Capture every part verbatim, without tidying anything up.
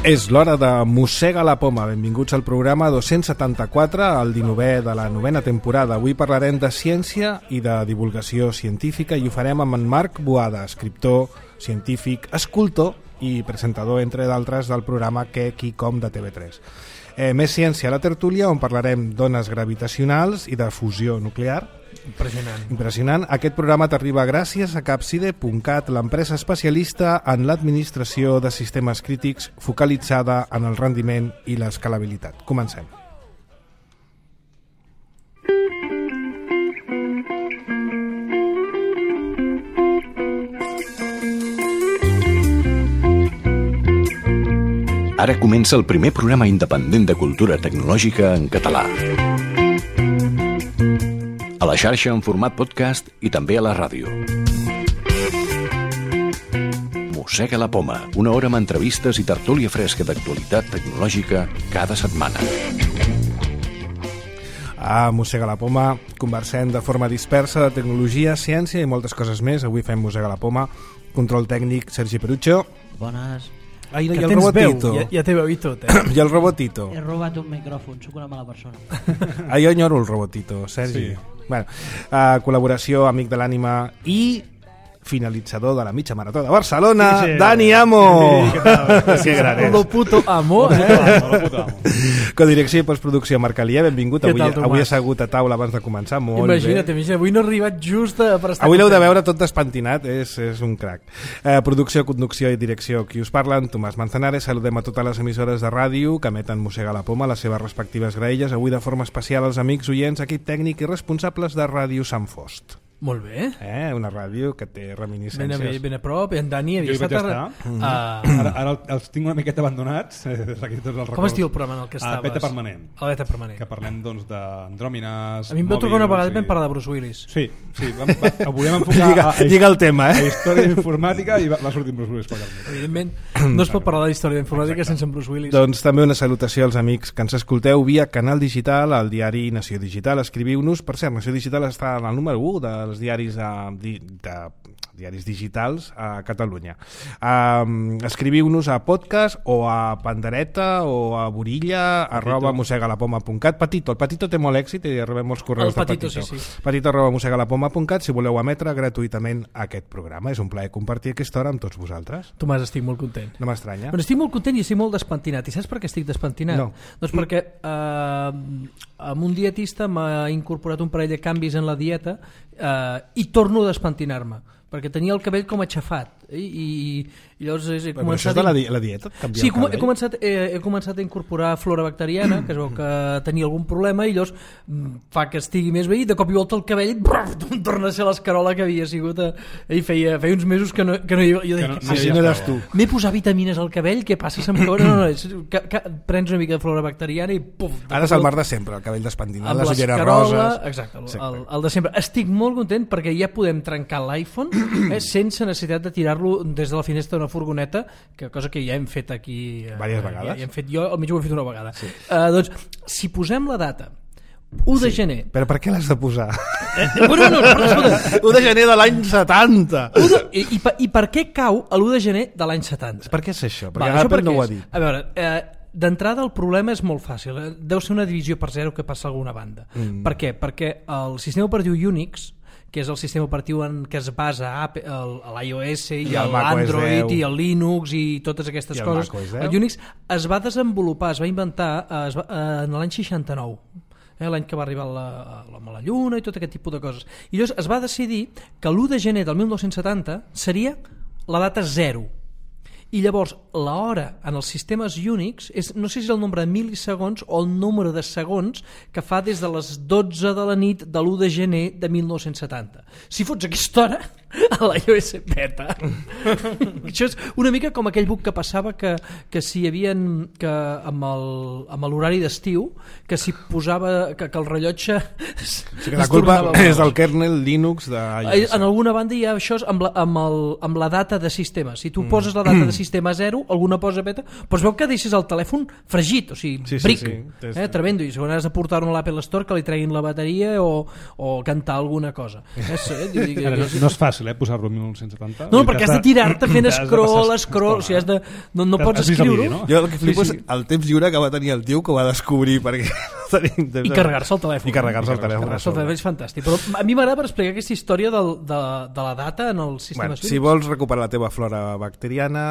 És l'hora de Mossega la Poma. Benvinguts al programa dos-cents setanta-quatre, el dinovè de la novena temporada. Avui parlarem de ciència i de divulgació científica i ho farem amb en Marc Boada, escriptor, científic, escultor i presentador, entre d'altres, del programa Què, qui, com de T V tres. Eh, més ciència a la tertúlia, on parlarem d'ones gravitacionals i de fusió nuclear. Impressionant. Impressionant. Aquest programa t'arriba gràcies a Capside punt cat, l'empresa especialista en l'administració de sistemes crítics focalitzada en el rendiment i l'escalabilitat. Comencem. Ara comença el primer programa independent de cultura tecnològica en català. A la xarxa en format podcast i també a la ràdio. Mossega la Poma, una hora amb entrevistes i tertúlia fresca d'actualitat tecnològica cada setmana. A Mossega la Poma conversem de forma dispersa de tecnologia, ciència i moltes coses més. Avui fem Mossega la Poma. Control tècnic, Sergi Perucho. Bones. Ai, que i el tens robotito. veu, ja, ja té veu i tot, eh? I el robotito. He robat un micròfon, sóc una mala persona. Ah, jo enyoro el robotito, Sergi. Sí. Bueno, uh, col·laboració, amic de l'ànima i finalitzador de la mitja marató de Barcelona, sí, sí. Dani Amo. Sí, què tal? Que gran és. Lo puto amo, eh? Lo puto amo. Codirecció i postproducció, Marc Alié, benvingut. Què Avui, tal, Tomàs? avui he assegut a taula abans de començar, molt Imagina't, bé. imagina't, avui no he arribat just a, per estar Avui l'heu de content. veure tot despentinat, és, és un crac. Eh, producció, conducció i direcció, qui us parlen, Tomàs Manzanares. Saludem a totes les emissores de ràdio que emeten Mossega la Poma, les seves respectives graelles. Avui de forma especial als amics oients, equip tècnic i responsables de Ràdio Sant Fost. Molt bé. Eh, una ràdio que té Ben a, reminiscències. ben a prop, en Dani havia Jo hi vaig estat... estar. A... Ara, ara els tinc una miqueta abandonats, eh, des d'aquí tots els records. Com es diu el programa en el que Ah, estaves? Beta Permanent. El Beta Permanent. Que parlem doncs d'andròmines... A mi em vau trucar una vegada i i... vam parlar de Bruce Willis. Sí, sí, vam, va, ho volíem enfocar Lliga, a, a, lliga el tema, a eh? història informàtica i va, va sortir Bruce Willis per carnet. Evidentment, no es pot parlar de història d'informàtica sense en Bruce Willis. Doncs també una salutació als amics que ens escolteu via Canal Digital, al diari Nació Digital. Escriviu-nos, per cert, Nació Digital està en el número u dels diaris de, de diaris digitals a Catalunya. Um, escriviu-nos a podcast o a Pandereta o a Borilla arroba mossegalapoma punt cat. Patito, el Patito té molt èxit i rebem molts correus El Patito, de Patito. sí, sí. Patito arroba mossegalapoma punt cat si voleu emetre gratuïtament aquest programa. És un plaer compartir aquesta hora amb tots vosaltres. Tomàs, estic molt content. No m'estranya. Però estic molt content i estic molt despentinat. I saps per què estic despentinat? No. Doncs perquè eh, amb un dietista m'ha incorporat un parell de canvis en la dieta eh, i torno a despentinar-me perquè tenia el cabell com aixafat i, i, i llavors he Però començat això és de la, di la dieta? Canviar sí, el com, he, cabell? començat, he, he començat a incorporar flora bacteriana que es veu que tenia algun problema i llavors mm, fa que estigui més bé i de cop i volta el cabell brrr, torna a ser l'escarola que havia sigut a, i feia, feia uns mesos que no, que no hi havia jo dic, no- ah, Si no eres tu. m'he posat vitamines al cabell, què passa? Se'm cau? No, no, és, que, que, prens una mica de flora bacteriana i puf, Ara és el mar de sempre, el cabell despentinat, amb les ulleres l'escarola, roses. exacte, el, Exacte. el, el de sempre. Estic molt content perquè ja podem trencar l'iPhone eh, sense necessitat de tirar-lo des de la finestra d'una furgoneta, que cosa que ja hem fet aquí eh, Vàries ja, vegades. ja hem fet, jo almenys ho he fet una vegada. Sí. Uh, doncs, si posem la data u de gener. Però per què l'has de posar? Eh, bueno, no, no, no, escolta, u de gener de l'any setanta. u de, i, i, per- I per què cau a l'u de gener de l'any setanta? Per què és això? Perquè Va, això Apple per no què ho ha és? dit. A veure, eh, d'entrada el problema és molt fàcil. eh? Deu ser una divisió per zero que passa a alguna banda. Mm. Per què? Perquè el sistema operatiu Unix, que és el sistema operatiu en què es basa Apple, el, l'iOS i, I el el macOS Android deu. i el Linux i totes aquestes I el coses. macOS deu. El Unix es va desenvolupar, es va inventar eh, es va, eh, en l'any seixanta-nou. Eh, l'any que va arribar l'home a la Lluna i tot aquest tipus de coses. I llavors es va decidir que l'u de gener del mil nou-cents setanta seria la data zero. I llavors l'hora en els sistemes Unix és, no sé si és el nombre de mil·lisegons o el número de segons que fa des de les dotze de la nit de l'u de gener de mil nou-cents setanta. Si fots aquesta hora a l'iOS beta això és una mica com aquell bug que passava que, que si hi havia que amb el- amb l'horari d'estiu que si posava que, que el rellotge Sí que la culpa és del kernel Linux de iOS. en alguna banda hi ha això amb la, amb, el, amb la data de sistema. Si tu mm. poses la data de sistema zero, alguna posa beta, però es veu que deixes el telèfon fregit, o sigui, Sí, sí, bric, sí. Tens- eh, tremendo, i segons has de portar-ho a l'Apple Store que li treguin la bateria o, o cantar alguna cosa. És, eh, dic, Ara, no, és- no es fa fàcil, eh, posar-lo en mil nou-cents setanta. No, perquè has de tirar-te fent Has de scroll, passar scroll, o sigui, has de, no, no Has- pots has vist el escriure-ho vídeo, no? Jo el que flipo Sí, sí. és el temps lliure que va tenir el tio que ho va descobrir, perquè no tenim temps. i carregar-se el telèfon. I carregar-se el telèfon. Carregar-se el telèfon és fantàstic. Però a mi m'agrada per explicar aquesta història del, de, de la data en el sistema Bueno, Unix. si vols recuperar la teva flora bacteriana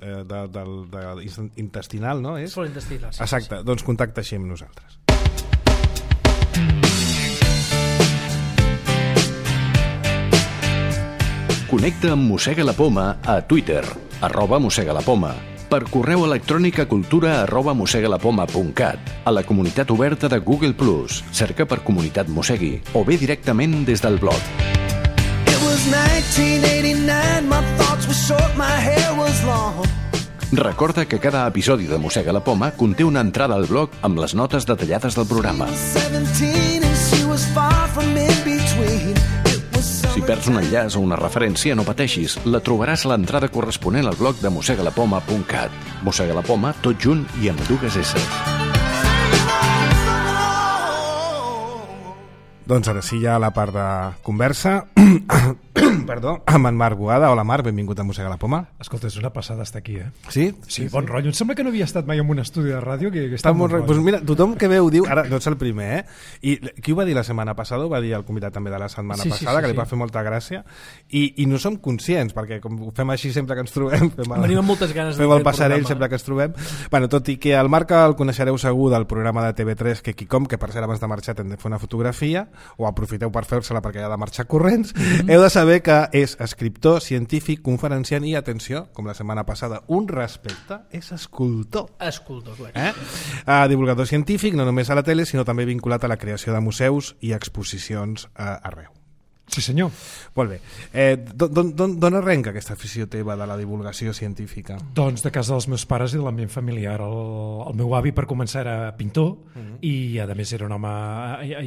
eh, de, de, de, de intestinal, no? És? Flora intestinal, sí, Exacte, sí. doncs contacta així amb nosaltres. Connecta amb Mossega la Poma a Twitter, arroba Mossega la Poma, per correu electrònic a cultura arroba mossegalapoma punt cat, a la comunitat oberta de Google plus, cerca per Comunitat Mossegui, o bé directament des del blog. It was nineteen eighty-nine, my thoughts were short, my hair was long. Recorda que cada episodi de Mossega la Poma conté una entrada al blog amb les notes detallades del programa. seventeen and she was far from in between. It was Si perds un enllaç o una referència, no pateixis, la trobaràs a l'entrada corresponent al blog de mossegalapoma punt cat. Mossega la Poma, tot junt i amb dues esses. Doncs ara sí, ja a la part de conversa perdó, amb en Marc Boada. Hola Marc, benvingut a Mossega la Poma. Escolta, és una passada estar aquí, eh? Sí? Sí, bon rotllo. Em sembla que no havia estat mai en un estudi de ràdio que, que Està està molt bon re... pues mira, tothom que ve ho diu, ara no ets el primer, eh? I qui ho va dir la setmana passada? Ho va dir el convidat també de la setmana Sí, sí, passada, sí, que li sí. va fer molta gràcia, i, i no som conscients, perquè com ho fem així sempre que ens trobem, fem el, Venim amb moltes ganes de fem fer el el passarell programa. sempre que ens trobem. Bueno, tot i que el Marc el coneixereu segur del programa de T V tres que Quicom, que per cert abans de marxar hem de fer una fotografia, o aprofiteu per fer-se-la perquè ha de marxar corrents, mm-hmm. heu de saber que és escriptor, científic, conferenciant i, atenció, com la setmana passada, un respecte, és escultor. Escultor, clar. Eh? Uh, divulgador científic, no només a la tele, sinó també vinculat a la creació de museus i exposicions uh, arreu. Sí, senyor. Molt bé. Eh, D'on arrenca aquesta afició teva de la divulgació científica? Doncs de casa dels meus pares i de l'ambient familiar. El, el meu avi, per començar, era pintor mm-hmm. i, a més, era un home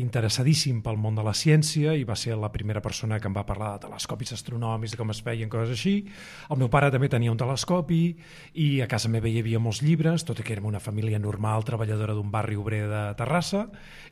interessadíssim pel món de la ciència i va ser la primera persona que em va parlar de telescopis astronòmics, de com es feien coses així. El meu pare també tenia un telescopi i a casa meva hi havia molts llibres, tot i que érem una família normal, treballadora d'un barri obrer de Terrassa,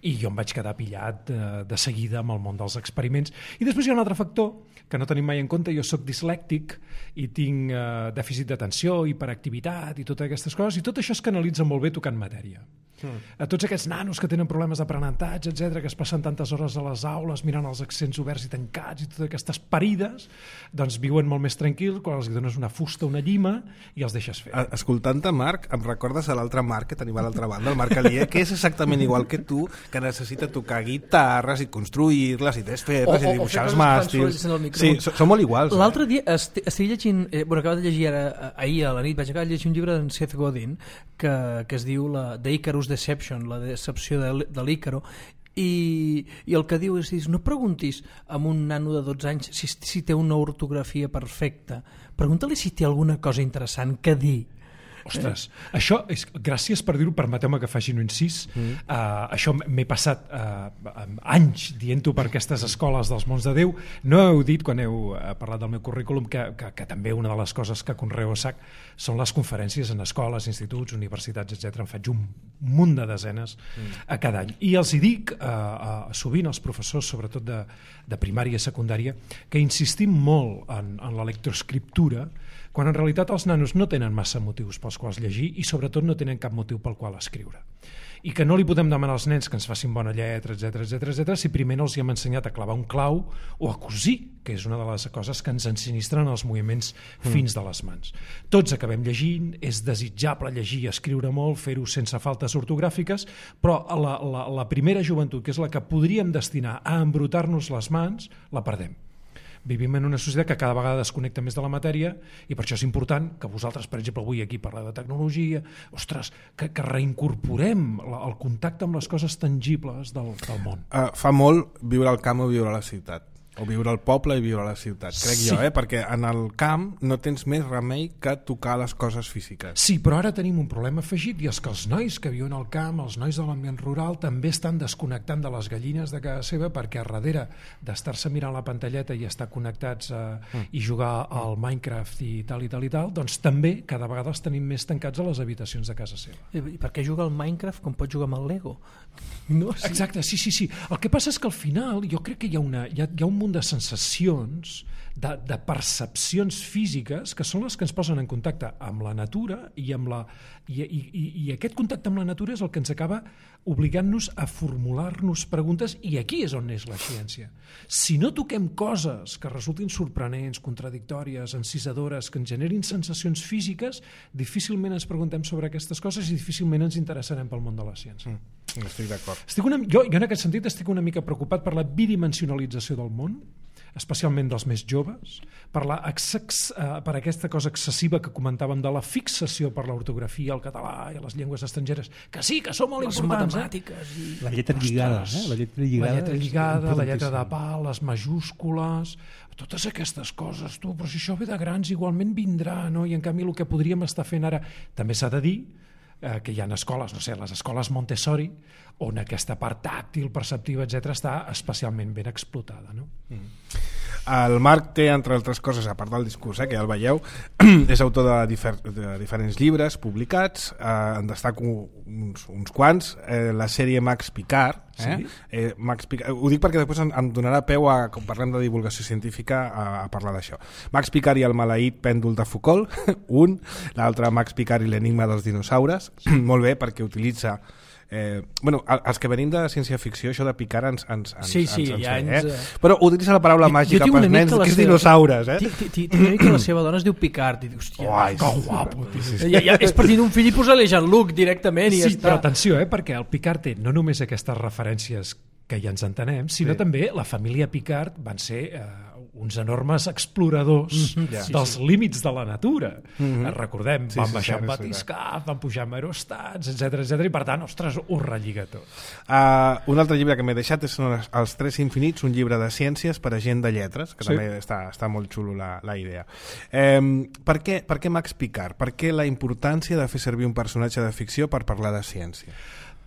i jo em vaig quedar pillat de, de seguida amb el món dels experiments. I després hi ha un altre factor que no tenim mai en compte. Jo sóc dislèctic i tinc eh, dèficit d'atenció, hiperactivitat i totes aquestes coses, i tot això es canalitza molt bé tocant matèria. Mm. A tots aquests nanos que tenen problemes d'aprenentatge, etcètera, que es passen tantes hores a les aules mirant els accents oberts i tancats i totes aquestes parides, doncs viuen molt més tranquils quan els dones una fusta, una llima i els deixes fer. Escoltant-te, Marc, em recordes a l'altre Marc que tenim a l'altra banda, el Marc Alier, que és exactament igual que tu, que necessita tocar guitarres i construir-les i desfer-les O- o- i dibuixar o els fer coses màstils. fan sorolls en el Sí, micròfon. so- són molt iguals. Eh? L'altre dia est estic llegint, eh, bueno, acabo de llegir ara, eh, ahir a la nit, vaig acabar de llegir un llibre d'en Seth Godin que, que es diu la The Icarus Deception, la decepció de, de l'Ícaro, i, i el que diu és, no preguntis a un nano de dotze anys si, si té una ortografia perfecta, pregunta-li si té alguna cosa interessant que dir. Ostres, eh? això és, gràcies per dir-ho, permeteu-me que faci un incís. Mm. Uh, això m'he passat uh, anys dient-ho per aquestes escoles dels mons de Déu. No heu dit, quan heu uh, parlat del meu currículum, que, que, que també una de les coses que conreo a sac són les conferències en escoles, instituts, universitats, etcètera. En faig un munt de desenes mm. a cada any. I els hi dic uh, uh, sovint als professors, sobretot de, de primària i secundària, que insistim molt en, en la lectoescriptura, quan en realitat els nanos no tenen massa motius pels quals llegir i sobretot no tenen cap motiu pel qual escriure. I que no li podem demanar als nens que ens facin bona lletra, etcètera, etcètera, etcètera, si primer no els hi hem ensenyat a clavar un clau o a cosir, que és una de les coses que ens ensinistren els moviments fins de les mans. Tots acabem llegint, és desitjable llegir i escriure molt, fer-ho sense faltes ortogràfiques, però la, la, la primera joventut, que és la que podríem destinar a embrutar-nos les mans, la perdem. Vivim en una societat que cada vegada desconnecta més de la matèria i per això és important que vosaltres, per exemple, avui aquí parleu de tecnologia, ostres, que, que reincorporem la, el contacte amb les coses tangibles del, del món. Uh, fa molt viure al camp o viure a la ciutat. O viure al poble i viure a la ciutat, crec Sí. jo, eh? Perquè en el camp no tens més remei que tocar les coses físiques. Sí, però ara tenim un problema afegit i és que els nois que viuen al camp, els nois de l'ambient rural, també estan desconnectant de les gallines de casa seva perquè a darrere d'estar-se mirant la pantalleta i estar connectats a, mm. i jugar al Minecraft i tal i tal i tal, doncs també cada vegada els tenim més tancats a les habitacions de casa seva. I per què juga al Minecraft com pot jugar amb el Lego? No? Sí. Exacte, sí, sí, sí. El que passa és que al final jo crec que hi ha, una, hi ha, hi ha un munt de sensacions, de, de percepcions físiques que són les que ens posen en contacte amb la natura i, amb la, i, i, i aquest contacte amb la natura és el que ens acaba obligant-nos a formular-nos preguntes i aquí és on és la ciència. Si no toquem coses que resultin sorprenents, contradictòries, encisadores, que ens generin sensacions físiques, difícilment ens preguntem sobre aquestes coses i difícilment ens interessarem pel món de la ciència. Mm, estic d'acord. Estic una, jo, jo en aquest sentit estic una mica preocupat per la bidimensionalització del món, especialment dels més joves, per, la exex, eh, per aquesta cosa excessiva que comentàvem de la fixació per l'ortografia, el català i les llengües estrangeres, que sí, que són molt les importants. matemàtiques. I... La lletra lligada, eh? La lletra lligada, la lletra, lligada la lletra de pa. pal, les majúscules, totes aquestes coses, tu, però si això ve de grans igualment vindrà, no? I en canvi el que podríem estar fent ara, també s'ha de dir, eh, que hi ha escoles, no sé, les escoles Montessori, on aquesta part tàctil, perceptiva, etcètera, està especialment ben explotada, no? Mm. El Marc té, entre altres coses, a part del discurs, eh, que ja el veieu, és autor de, difer de diferents llibres publicats, eh, en destaco uns, uns quants, eh, la sèrie Max Picard, eh? Sí? Eh, Max Picard, ho dic perquè després em, em donarà peu a, quan parlem de divulgació científica, a, a parlar d'això. Max Picard i el maleït pèndol de Foucault, un, l'altre Max Picard i l'enigma dels dinosaures, molt bé perquè utilitza Eh, bueno, els que venim de ciència-ficció, això de picar ens, ens, ens, sí, sí, ens, ens ja ve, ens, eh? Però utilitza la paraula màgica pels nens, que és dinosaures, eh? Tinc una mica la seva dona es diu Picard i dius, hòstia, Uai, que guapo, ja, ja, és per dir un fill i posar-li Jean-Luc directament i sí, ja està. Però atenció, eh, perquè el Picard té no només aquestes referències que ja ens entenem, sinó sí. també també la família Picard van ser eh, uns enormes exploradors mm-hmm, yeah. dels sí, sí. límits de la natura. Mm-hmm. Recordem, sí, van sí, baixar sí, amb sí, batiscaf, van pujar amb aerostats, etcètera, etcètera, i per tant, ostres, ho relliga tot. Uh, un altre llibre que m'he deixat és Els Tres Infinits, un llibre de ciències per a gent de lletres, que sí. també està, està molt xulo la, la idea. Eh, per, què, per què Max Picard? Per què la importància de fer servir un personatge de ficció per parlar de ciència?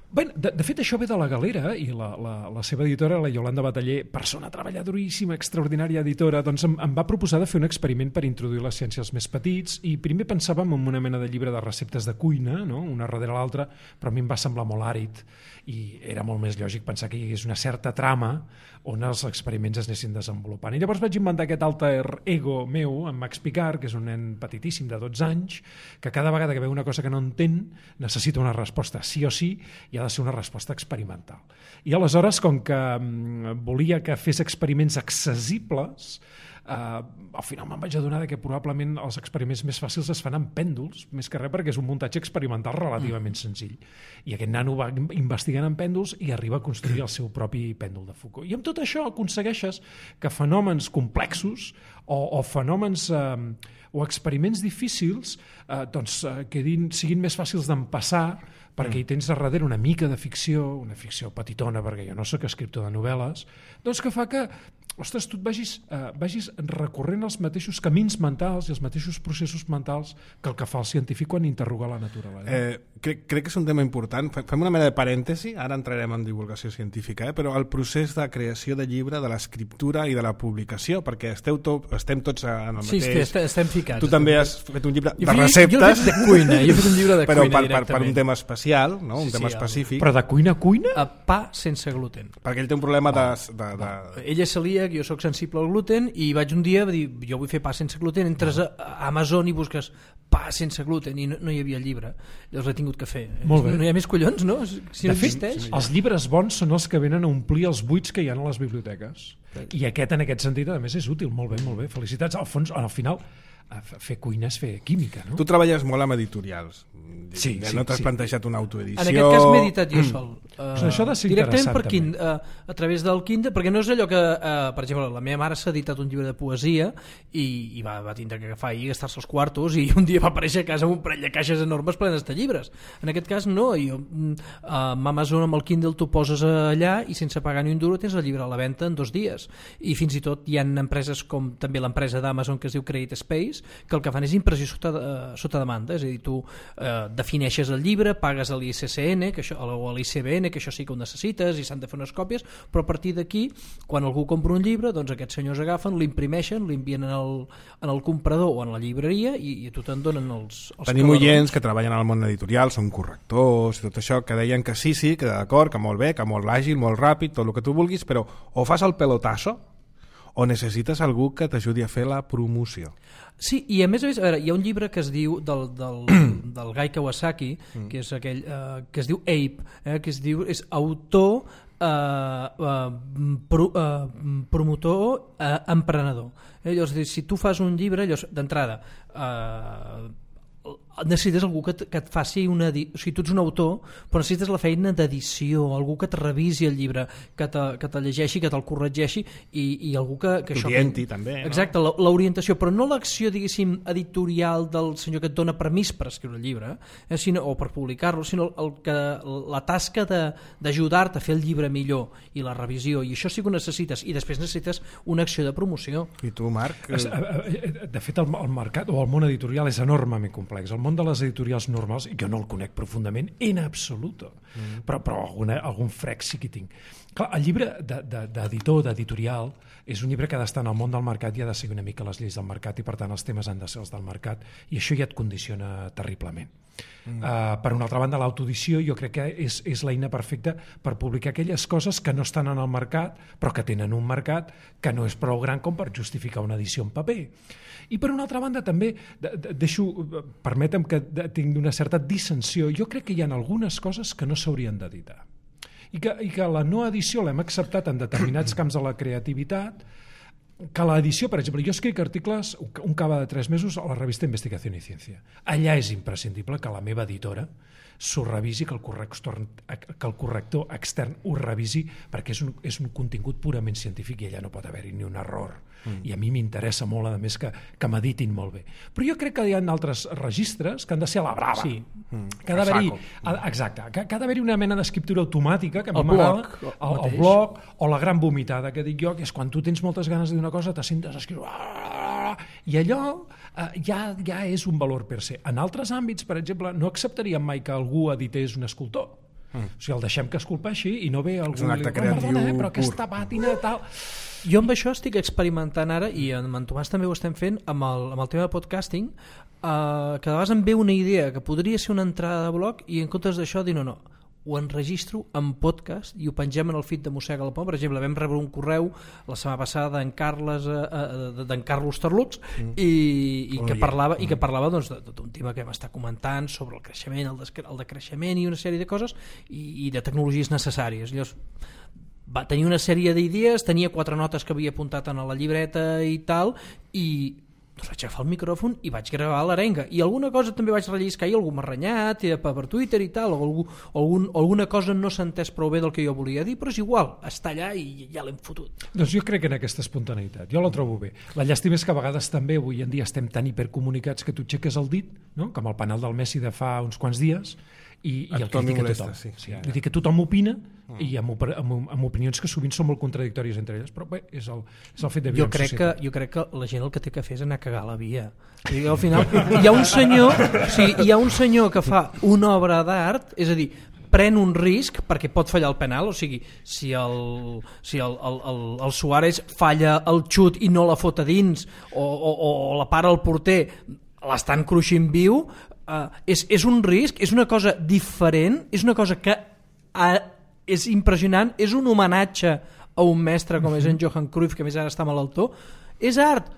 Bé, de, de fet, això ve de la Galera i la, la, la seva editora, la Iolanda Bataller, persona treballadoríssima, extraordinària editora, doncs em, em va proposar de fer un experiment per introduir les ciències als més petits i primer pensàvem en una mena de llibre de receptes de cuina, no? Una darrere l'altra, però a mi em va semblar molt àrid i era molt més lògic pensar que hi hagués una certa trama on els experiments es anessin desenvolupant. I llavors vaig inventar aquest alter ego meu, en Max Picard, que és un nen petitíssim de dotze anys, que cada vegada que veu una cosa que no entén necessita una resposta sí o sí i ha de ser una resposta experimental. I aleshores, com que mm, volia que fes experiments accessibles, Uh, al final me'n vaig adonar que probablement els experiments més fàcils es fan amb pèndols, més que res perquè és un muntatge experimental relativament senzill. I aquest nano va investigant amb pèndols i arriba a construir el seu propi pèndol de Foucault. I amb tot això aconsegueixes que fenòmens complexos o, o fenòmens eh, o experiments difícils eh, doncs, eh, quedin, siguin més fàcils d'empassar perquè hi tens a darrere una mica de ficció, una ficció petitona, perquè jo no sóc escriptor de novel·les, doncs que fa que, ostres, tu et vagis, eh, vagis recorrent els mateixos camins mentals i els mateixos processos mentals que el que fa el científic quan interroga la naturalesa. Eh, crec, crec que és un tema important. Fem una mena de parèntesi, ara entrarem en divulgació científica, eh? Però el procés de creació de llibre, de l'escriptura i de la publicació, perquè esteu to estem tots en el sí, mateix... Sí, estem ficats. Tu també has fet un llibre jo de fet, receptes. Jo he fet de cuina, jo he fet un llibre de però cuina per, per, per un tema especial, no? Un sí, tema sí, específic. Però de cuina a cuina? A pa sense gluten. Perquè ell té un problema de... de, de... Ell és celíac, jo sóc sensible al gluten i vaig un dia dir, jo vull fer pa sense gluten, entres a Amazon i busques pa sense gluten i no, no hi havia el llibre, llavors l'he tingut que fer. Molt bé. No hi ha més collons, no? Si no de fet, existeix. els llibres bons són els que venen a omplir els buits que hi ha a les biblioteques. I aquest, en aquest sentit, a més, és útil. Molt bé, molt bé. Felicitats. Al fons, al final, fer cuina és fer química, no? Tu treballes molt amb editorials. Sí, no sí, t'has sí. plantejat una autoedició... En aquest cas m'he editat jo sol. Uh, Però això ha de ser directament per interessant, Kindle, uh, a través del Kindle, perquè no és allò que, uh, per exemple, la meva mare s'ha editat un llibre de poesia i, i va, va tindre que agafar i gastar-se els quartos i un dia va aparèixer a casa amb un parell de caixes enormes plenes de llibres. En aquest cas no, jo, uh, amb Amazon amb el Kindle tu poses allà i sense pagar ni un duro tens el llibre a la venda en dos dies. I fins i tot hi ha empreses com també l'empresa d'Amazon que es diu Create Space, que el que fan és impressió sota, uh, sota demanda, és a dir, tu uh, defineixes el llibre, pagues a l'I C C N que això, o a l'I C B N, que això sí que ho necessites i s'han de fer unes còpies, però a partir d'aquí, quan algú compra un llibre, doncs aquests senyors agafen, l'imprimeixen, l'envien en, el, en el comprador o en la llibreria i, i a tu te'n donen els, els Tenim calarons. oients que treballen al món editorial, són correctors i tot això, que deien que sí, sí, que d'acord, que molt bé, que molt àgil, molt ràpid, tot el que tu vulguis, però o fas el pelotasso o necessites algú que t'ajudi a fer la promoció? Sí, i a més a més, a veure, hi ha un llibre que es diu del, del, del Guy Kawasaki, mm. que és aquell eh, que es diu Ape, eh, que es diu és autor, eh, eh, pro, eh, promotor, eh, emprenedor. Eh, llavors, si tu fas un llibre, d'entrada, eh, necessites algú que, que et faci una... O sigui, tu ets un autor, però necessites la feina d'edició, algú que et revisi el llibre, que te, que te llegeixi, que te'l corregeixi, i, i algú que... que t'orienti, també, no? Exacte, l'orientació, però no l'acció, diguéssim, editorial del senyor que et dona permís per escriure el llibre, eh, sinó, o per publicar-lo, sinó el que, la tasca d'ajudar-te a fer el llibre millor, i la revisió, i això sí que ho necessites, i després necessites una acció de promoció. I tu, Marc? De fet, el, el mercat o el món editorial és enormement complex. El món de les editorials normals, jo no el conec profundament en absolut, mm. però, però alguna, algun frec sí que tinc. Clar, el llibre d'editor, de, d'editorial, és un llibre que ha d'estar en el món del mercat i ha de seguir una mica les lleis del mercat, i per tant els temes han de ser els del mercat, i això ja et condiciona terriblement. Mm. Uh, per una altra banda, l'autoedició jo crec que és, és l'eina perfecta per publicar aquelles coses que no estan en el mercat, però que tenen un mercat que no és prou gran com per justificar una edició en paper. I per una altra banda també, de, de, deixo, permetem que tinc una certa dissensió, jo crec que hi ha algunes coses que no s'haurien d'editar. I que, I que la no edició l'hem acceptat en determinats camps de la creativitat, que l'edició, per exemple, jo escric articles un cada de tres mesos a la revista Investigació i Ciència. Allà és imprescindible que la meva editora s'ho revisi, que el corrector, que el corrector extern ho revisi, perquè és un, és un contingut purament científic i allà no pot haver-hi ni un error. Mm. I a mi m'interessa molt, a més, que, que m'editin molt bé. Però jo crec que hi ha altres registres que han de ser a la brava. Sí. Mm. Que ha d'haver-hi, exacte, que, que ha d'haver-hi una mena d'escriptura automàtica, que a mi el m'agrada, blog, el, el blog, o la gran vomitada, que dic jo, que és quan tu tens moltes ganes de dir una cosa, te sentes a escriure, i allò eh, ja, ja és un valor per se. En altres àmbits, per exemple, no acceptaríem mai que algú edités un escultor. Mm. O sigui, el deixem que esculpeixi i no ve algú... És un acte creatiu perdona, eh, però pur. Aquesta pàtina tal... Jo amb això estic experimentant ara, i amb en Tomàs també ho estem fent, amb el, amb el tema de podcasting, eh, que de vegades em ve una idea que podria ser una entrada de blog i en comptes d'això dir no, no, ho enregistro en podcast i ho pengem en el feed de Mossega la Poma. Per exemple, vam rebre un correu la setmana passada d'en Carles, eh, d'en Carlos Terlux mm. i, i, que parlava, mm. i que parlava doncs, d'un tema que vam estar comentant sobre el creixement, el, el decreixement i una sèrie de coses i, i de tecnologies necessàries. Llavors, va tenir una sèrie d'idees, tenia quatre notes que havia apuntat en la llibreta i tal, i doncs vaig agafar el micròfon i vaig gravar l'arenga, i alguna cosa també vaig relliscar, i algú m'ha renyat i per Twitter i tal, o, algú, o algun, alguna cosa no s'ha entès prou bé del que jo volia dir, però és igual, està allà i ja l'hem fotut. Doncs jo crec en aquesta espontaneïtat, jo la trobo bé. La llàstima és que a vegades també avui en dia estem tan hipercomunicats que tu aixeques el dit, no? Com el penal del Messi de fa uns quants dies, i, i el critica tothom. Sí, sí, vull dir que tothom opina, mm. i amb, amb, amb opinions que sovint són molt contradictòries entre elles, però bé, és el, és el fet de viure jo crec en societat. Que, jo crec que la gent el que té que fer és anar a cagar a la via. I al final hi ha un senyor, o sigui, hi ha un senyor que fa una obra d'art, és a dir, pren un risc perquè pot fallar el penal, o sigui, si el, si el, el, el, el Suárez falla el xut i no la fot a dins, o, o, o la para el porter, l'estan cruixint viu, uh, és, és un risc, és una cosa diferent, és una cosa que uh, és impressionant, és un homenatge a un mestre com és en Johan Cruyff, que més ara està malaltó, és art.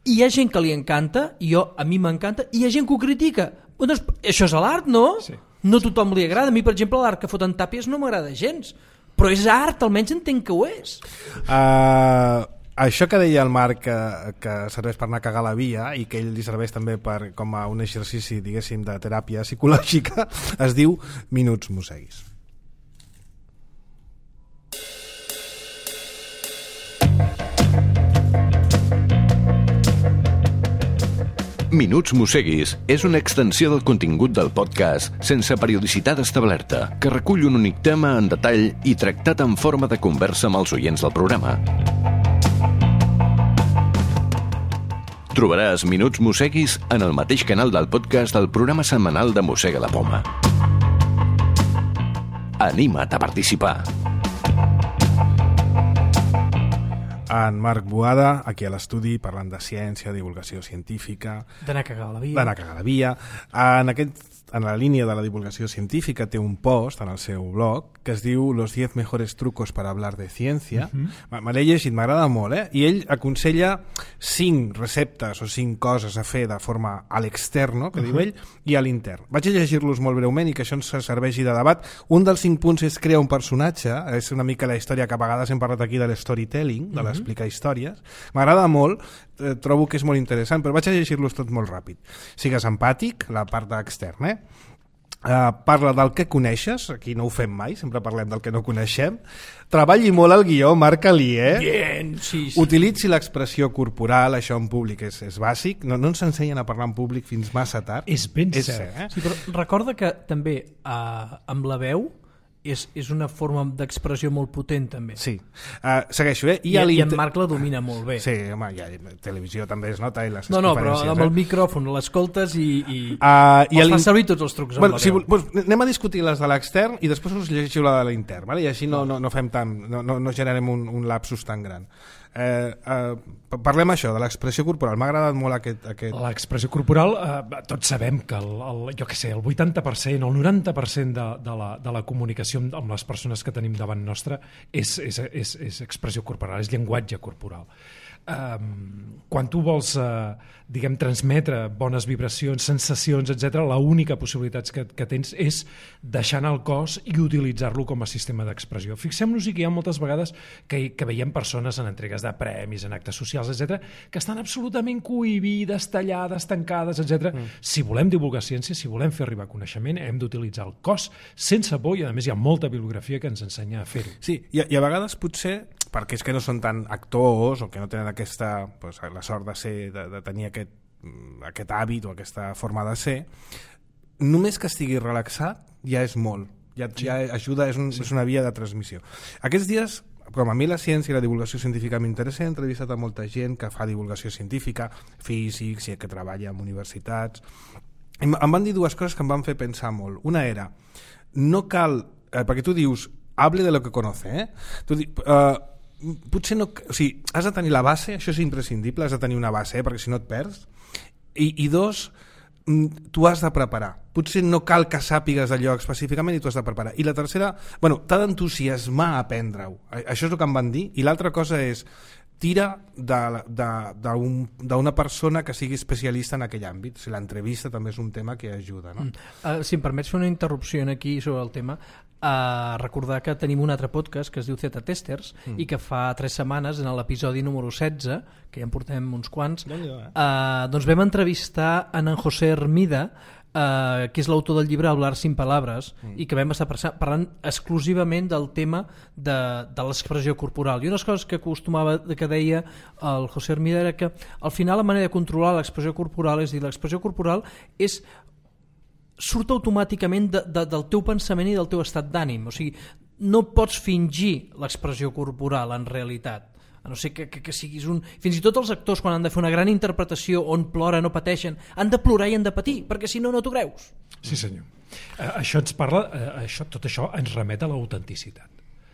I hi ha gent que li encanta, i jo, a mi m'encanta, i hi ha gent que ho critica. Doncs, això és l'art, no? Sí. No a tothom li agrada. A mi, per exemple, l'art que foten tàpies no m'agrada gens, però és art, almenys entenc que ho és. Uh, això que deia el Marc, que, que serveix per anar a cagar a la via i que ell li serveix també per, com a un exercici, diguéssim, de teràpia psicològica, es diu Minuts Mosseguis. Minuts Mosseguis és una extensió del contingut del podcast sense periodicitat establerta, que recull un únic tema en detall i tractat en forma de conversa amb els oients del programa. Trobaràs Minuts Mosseguis en el mateix canal del podcast del programa setmanal de Mossega la Poma. Anima't a participar! En Marc Boada, aquí a l'estudi, parlant de ciència, divulgació científica... D'anar a cagar a la via. D'anar a cagar a la via. En aquest en la línia de la divulgació científica, té un post en el seu blog que es diu Los diez mejores trucos para hablar de ciencia. Uh-huh. Me l'he llegit, m'agrada molt, eh? I ell aconsella cinc receptes o cinc coses a fer de forma a l'externo, que uh-huh. diu ell, i a l'intern. Vaig a llegir-los molt breument i que això ens serveixi de debat. Un dels cinc punts és crear un personatge, és una mica la història que a vegades hem parlat aquí de l'storytelling, de l'explicar històries. M'agrada molt, eh, trobo que és molt interessant, però vaig a llegir-los tot molt ràpid. Sigues empàtic, la part externa, eh? Uh, parla del que coneixes, aquí no ho fem mai, sempre parlem del que no coneixem. Treballi molt el guió, marca-li, eh? Bien, sí, sí. Utilitzi l'expressió corporal, això en públic és, és bàsic, no, no ens ensenyen a parlar en públic fins massa tard. És ben és cert. Eh? Sí, però recorda que també uh, amb la veu és, és una forma d'expressió molt potent també. Sí, uh, segueixo, eh? I, I, i en Marc la domina molt bé. Sí, home, ja, televisió també es nota i les no, no, però amb eh? el micròfon l'escoltes i, i, uh, i els fa servir tots els trucs amb bueno, la si, veu. Pues, anem a discutir les de l'extern i després us llegiu la de l'intern, vale? I així no, no, no fem tant, no, no, no generem un, un lapsus tan gran. Eh, eh, parlem això de l'expressió corporal, m'ha agradat molt aquest, aquest... L'expressió corporal, eh, tots sabem que el, el, jo què sé, el vuitanta per cent o el noranta per cent de, de, la, de la comunicació amb, amb les persones que tenim davant nostra és, és, és, és expressió corporal, és llenguatge corporal. Um, quan tu vols uh, diguem, transmetre bones vibracions, sensacions, etcètera, l'única possibilitat que, que tens és deixar anar el cos i utilitzar-lo com a sistema d'expressió. Fixem-nos-hi que hi ha moltes vegades que, que veiem persones en entregues de premis, en actes socials, etcètera, que estan absolutament cohibides, tallades, tancades, etcètera. Mm. Si volem divulgar ciència, si volem fer arribar coneixement, hem d'utilitzar el cos sense por i, a més, hi ha molta bibliografia que ens ensenya a fer-ho. Sí, i a, i a vegades potser perquè és que no són tan actors o que no tenen aquesta, pues, la sort de, ser, de, de tenir aquest, aquest hàbit o aquesta forma de ser, només que estigui relaxat ja és molt, ja, ja ajuda, és, un, sí. és una via de transmissió. Aquests dies, com a mi la ciència i la divulgació científica m'interessa, he entrevistat a molta gent que fa divulgació científica, físics, que treballa en universitats. Em, em van dir dues coses que em van fer pensar molt. Una era, no cal, eh, perquè tu dius, hable de lo que conoce, eh? Tu dius, eh, potser no, o sigui, has de tenir la base, això és imprescindible, has de tenir una base, eh? Perquè si no et perds, i, i dos, tu has de preparar, potser no cal que sàpigues allò específicament i tu has de preparar, i la tercera, bueno, t'ha d'entusiasmar a aprendre-ho, això és el que em van dir, i l'altra cosa és tira d'una persona que sigui especialista en aquell àmbit. O sigui, l'entrevista també és un tema que ajuda, no? Mm. Uh, si em permets fer una interrupció aquí sobre el tema, uh, recordar que tenim un altre podcast que es diu Z Testers mm. i que fa tres setmanes, en l'episodi número setze, que ja en portem uns quants, uh, doncs vam entrevistar en en José Hermida, Uh, que és l'autor del llibre Hablar sin palabras mm. i que vam estar parlant exclusivament del tema de, de l'expressió corporal, i unes coses que acostumava, que deia el José Hermida, era que al final la manera de controlar l'expressió corporal, és dir, l'expressió corporal és surt automàticament de, de, del teu pensament i del teu estat d'ànim, o sigui, no pots fingir l'expressió corporal en realitat, a no ser que, que, que siguis un... Fins i tot els actors, quan han de fer una gran interpretació on ploren o pateixen, han de plorar i han de patir, perquè si no, no t'ho creus. Sí, senyor. Uh, això ens parla, uh, això, tot això ens remet a l'autenticitat.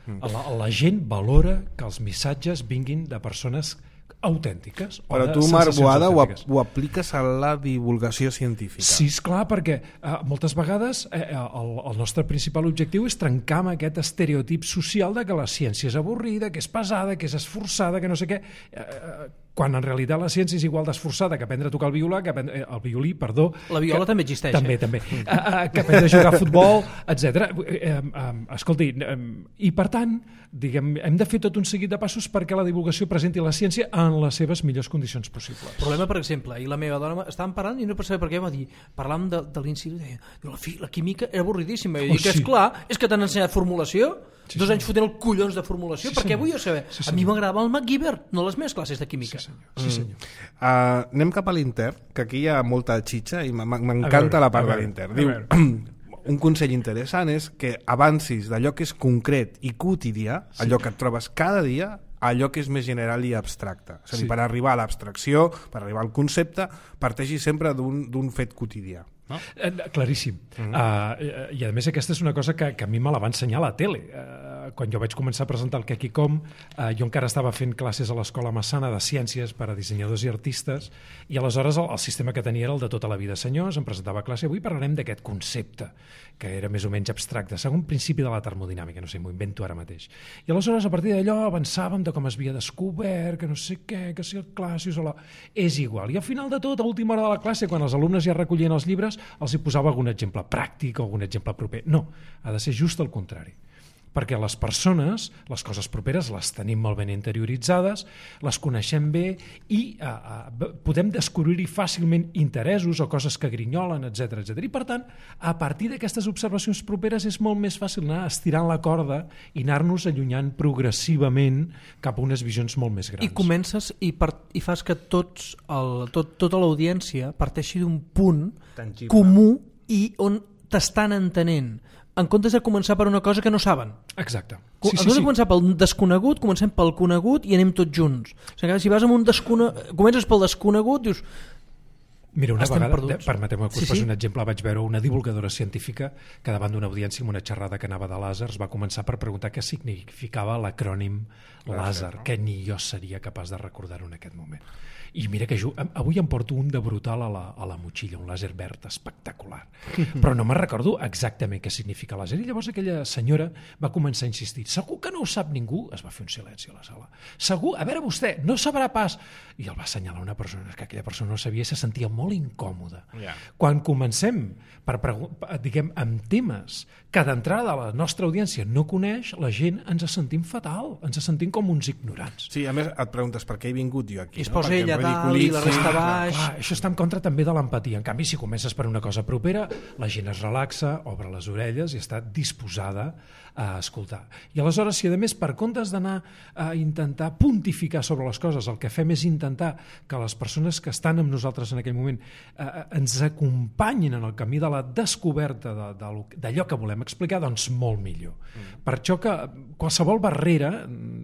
Mm. La, la gent valora que els missatges vinguin de persones autèntiques. Però tu, Marc Boada, ho, ho apliques a la divulgació científica. Sí, esclar, perquè eh, moltes vegades eh, el, el nostre principal objectiu és trencar amb aquest estereotip social de que la ciència és avorrida, que és pesada, que és esforçada, que no sé què... Eh, quan en realitat la ciència és igual d'esforçada que aprendre a tocar el violà, que aprendre, el violí, perdó... La viola que, també existeix. També, eh? també. Uh, uh, que aprendre a jugar a futbol, etcètera. Uh, uh, escolti, uh, i per tant, diguem, hem de fer tot un seguit de passos perquè la divulgació presenti la ciència en les seves millors condicions possibles. El problema, per exemple, i la meva dona estàvem parlant i no per saber per què va dir, parlàvem de, de l'institut, i deia, la, fi, la química era avorridíssima. I oh, dic, sí. Esclar, és que t'han ensenyat formulació, sí, dos sí. anys fotent el collons de formulació, sí, perquè vull jo saber. Sí, a mi m'agradava el MacGyver, no les meves classes de química. Sí, senyor. Sí, senyor. Mm. Uh, anem cap a l'intern, que aquí hi ha molta xitxa i m'encanta la part de l'intern. Diu, un consell interessant és que avancis d'allò que és concret i quotidià, sí. allò que et trobes cada dia, a allò que és més general i abstracte. És a dir, sí. per arribar a l'abstracció, per arribar al concepte, parteixi sempre d'un fet quotidià. No? Eh, claríssim. Mm-hmm. uh, I a més aquesta és una cosa que, que a mi me la va ensenyar a la tele. Uh, uh, quan jo vaig començar a presentar el Kekicom, uh, jo encara estava fent classes a l'Escola Massana de Ciències per a dissenyadors i artistes, i aleshores el, el sistema que tenia era el de tota la vida, senyors, em presentava a classe, avui parlarem d'aquest concepte, que era més o menys abstracte, segon principi de la termodinàmica, no sé, m'ho invento ara mateix. I aleshores, a partir d'allò, avançàvem de com es havia descobert, que no sé què, que si el Classius o la... És igual. I al final de tot, a última hora de la classe, quan els alumnes ja recollien els llibres, els hi posava algun exemple pràctic o algun exemple proper. No, ha de ser just el contrari. Perquè les persones, les coses properes, les tenim molt ben interioritzades, les coneixem bé i uh, uh, podem descobrir-hi fàcilment interessos o coses que grinyolen, etcètera, etcètera. I per tant, a partir d'aquestes observacions properes és molt més fàcil anar estirant la corda i anar-nos allunyant progressivament cap a unes visions molt més grans. I comences i, per, i fas que tots el, tot, tota l'audiència parteixi d'un punt tangible, comú i on t'estan entenent, en comptes de començar per una cosa que no saben. Exacte. Sí, en comptes sí, de començar sí. pel desconegut, comencem pel conegut i anem tots junts. O sigui, si vas amb un desconegut, comences pel desconegut, dius... Mira, una estem vegada, perduts. permeteu-me que us sí, posi sí. un exemple, vaig veure una divulgadora científica que davant d'una audiència amb una xerrada que anava de làsers va començar per preguntar què significava l'acrònim làser, que ni jo seria capaç de recordar-ho en aquest moment. I mira que jo, avui em porto un de brutal a la, a la motxilla, un làser verd espectacular. Però no me'n recordo exactament què significa làser. I llavors aquella senyora va començar a insistir. Segur que no ho sap ningú? Es va fer un silenci a la sala. Segur? A veure vostè, no sabrà pas. I el va assenyalar una persona que aquella persona no sabia i se sentia molt incòmoda. Yeah. Quan comencem per, diguem, amb temes que d'entrada la nostra audiència no coneix, la gent ens sentim fatal, ens sentim com uns ignorants. Sí, a més et preguntes per què he vingut jo aquí. I es no? posa Perquè ella dalt i la resta baix. Clar, això està en contra també de l'empatia. En canvi, si comences per una cosa propera, la gent es relaxa, obre les orelles i està disposada a escoltar. I aleshores, si a més, per comptes d'anar a intentar pontificar sobre les coses, el que fem és intentar que les persones que estan amb nosaltres en aquell moment eh, ens acompanyin en el camí de la descoberta de, de, d'allò que volem explicar, doncs molt millor. Mm. Per això que qualsevol barrera,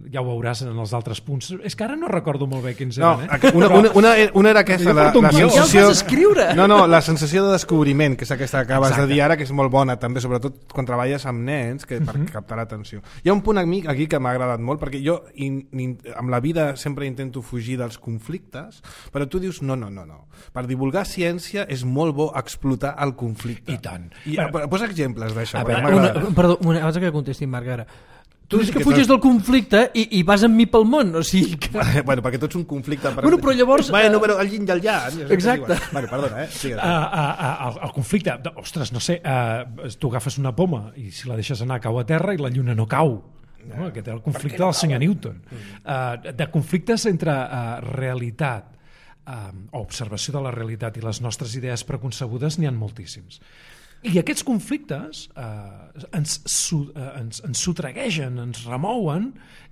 ja ho veuràs en els altres punts, és que ara no recordo molt bé quins no, eren, eh? Una, una, una, una era aquesta, la, la sensació... Ja el vas escriure! No, no, la sensació de descobriment, que és aquesta que acabes Exacte. de dir ara, que és molt bona, també, sobretot quan treballes amb nens, que per captar l'atenció. Hi ha un punt amic aquí que m'ha agradat molt, perquè jo in, in, amb la vida sempre intento fugir dels conflictes, però tu dius no, no, no, no. Per divulgar ciència és molt bo explotar el conflicte. I tant. I, bueno, posa exemples d'això. A veure, una, perdó, una, abans que contesti Marc, ara. Tu dius que, que fuges tot... del conflicte i, i vas amb mi pel món, o sigui que... Bueno, perquè tot és un conflicte... Per... Bueno, però llavors... Bueno, però el yin i el yang... Exacte. Bueno, perdona, eh? Sí, uh, uh, uh, el, el conflicte... Ostres, no sé, uh, tu agafes una poma i si la deixes anar cau a terra i la lluna no cau. No? Aquest és el conflicte no del senyor Newton. Uh, de conflictes entre uh, realitat uh, o observació de la realitat i les nostres idees preconcebudes n'hi ha moltíssims. I aquests conflictes eh, ens, su, eh, ens, ens sotreguegen, ens remouen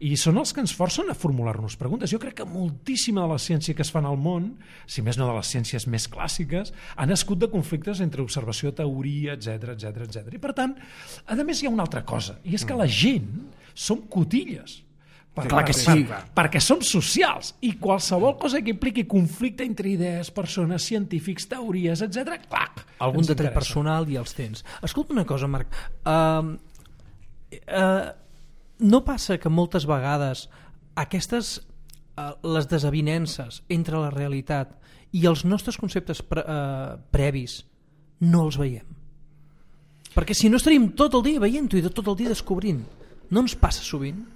i són els que ens forcen a formular-nos preguntes. Jo crec que moltíssima de la ciència que es fan al món, si més no de les ciències més clàssiques, ha nascut de conflictes entre observació, teoria, etcètera, etcètera, etcètera. I per tant, a més hi ha una altra cosa, i és que la gent som cotilles. Per, clar que sí. Per, perquè som socials i qualsevol cosa que impliqui conflicte entre idees, persones, científics, teories, etcètera, clac, algun detall personal i els tens. Escolta una cosa, Marc, uh, uh, no passa que moltes vegades aquestes uh, les desavinences entre la realitat i els nostres conceptes pre, uh, previs no els veiem? Perquè si no estaríem tot el dia veient-ho i tot el dia descobrint. No ens passa sovint?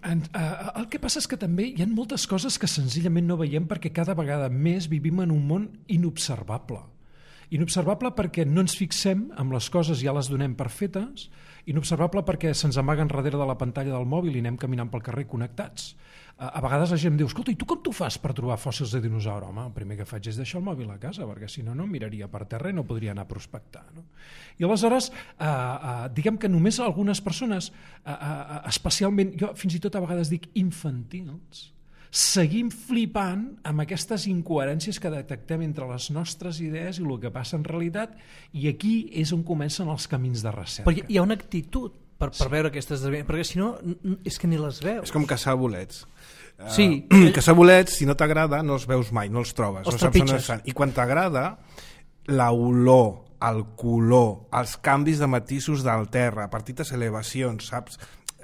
En, uh, el que passa és que també hi ha moltes coses que senzillament no veiem perquè cada vegada més vivim en un món inobservable. Inobservable perquè no ens fixem amb les coses, ja les donem per fetes, inobservable perquè se'ns amaguen darrere de la pantalla del mòbil i anem caminant pel carrer connectats. Uh, a vegades la gent em diu, escolta, i tu com t'ho fas per trobar fòssils de dinosaure? Home, el primer que faig és deixar el mòbil a casa, perquè si no, no miraria per terra i no podria anar a prospectar. No? I aleshores, uh, uh, diguem que només algunes persones, uh, uh, especialment, jo fins i tot a vegades dic infantils, seguim flipant amb aquestes incoherències que detectem entre les nostres idees i el que passa en realitat, i aquí és on comencen els camins de recerca. Perquè hi ha una actitud per, per sí. veure aquestes esdeveniments, perquè si no, és que ni les veus. És com caçar bolets. Sí. Uh, caçar bolets, si no t'agrada, no els veus mai, no els trobes. Els no trepitges. On I quan t'agrada, l'olor, el color, els canvis de matisos del terra, petites elevacions, saps?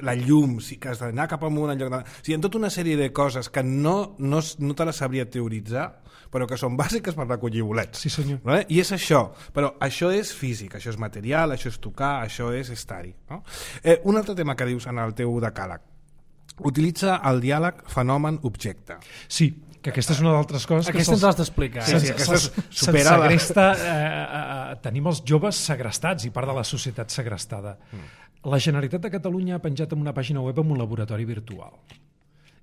la llum, sí que has d'anar cap amunt en lloc de... O sigui, hi ha tota una sèrie de coses que no, no, no te les sabria teoritzar, però que són bàsiques per recollir bolets. Sí, senyor. No? I és això, però això és físic, això és material, això és tocar, això és estar-hi. No? Eh, un altre tema que dius en el teu decàleg, utilitza el diàleg fenomen-objecte. Sí, que aquesta és una d'altres coses aquesta que ens l'has d'explicar. Sí, sí, aquesta se'ls supera la... segresta, eh, eh, tenim els joves segrestats i part de la societat segrestada. Mm. La Generalitat de Catalunya ha penjat en una pàgina web amb un laboratori virtual.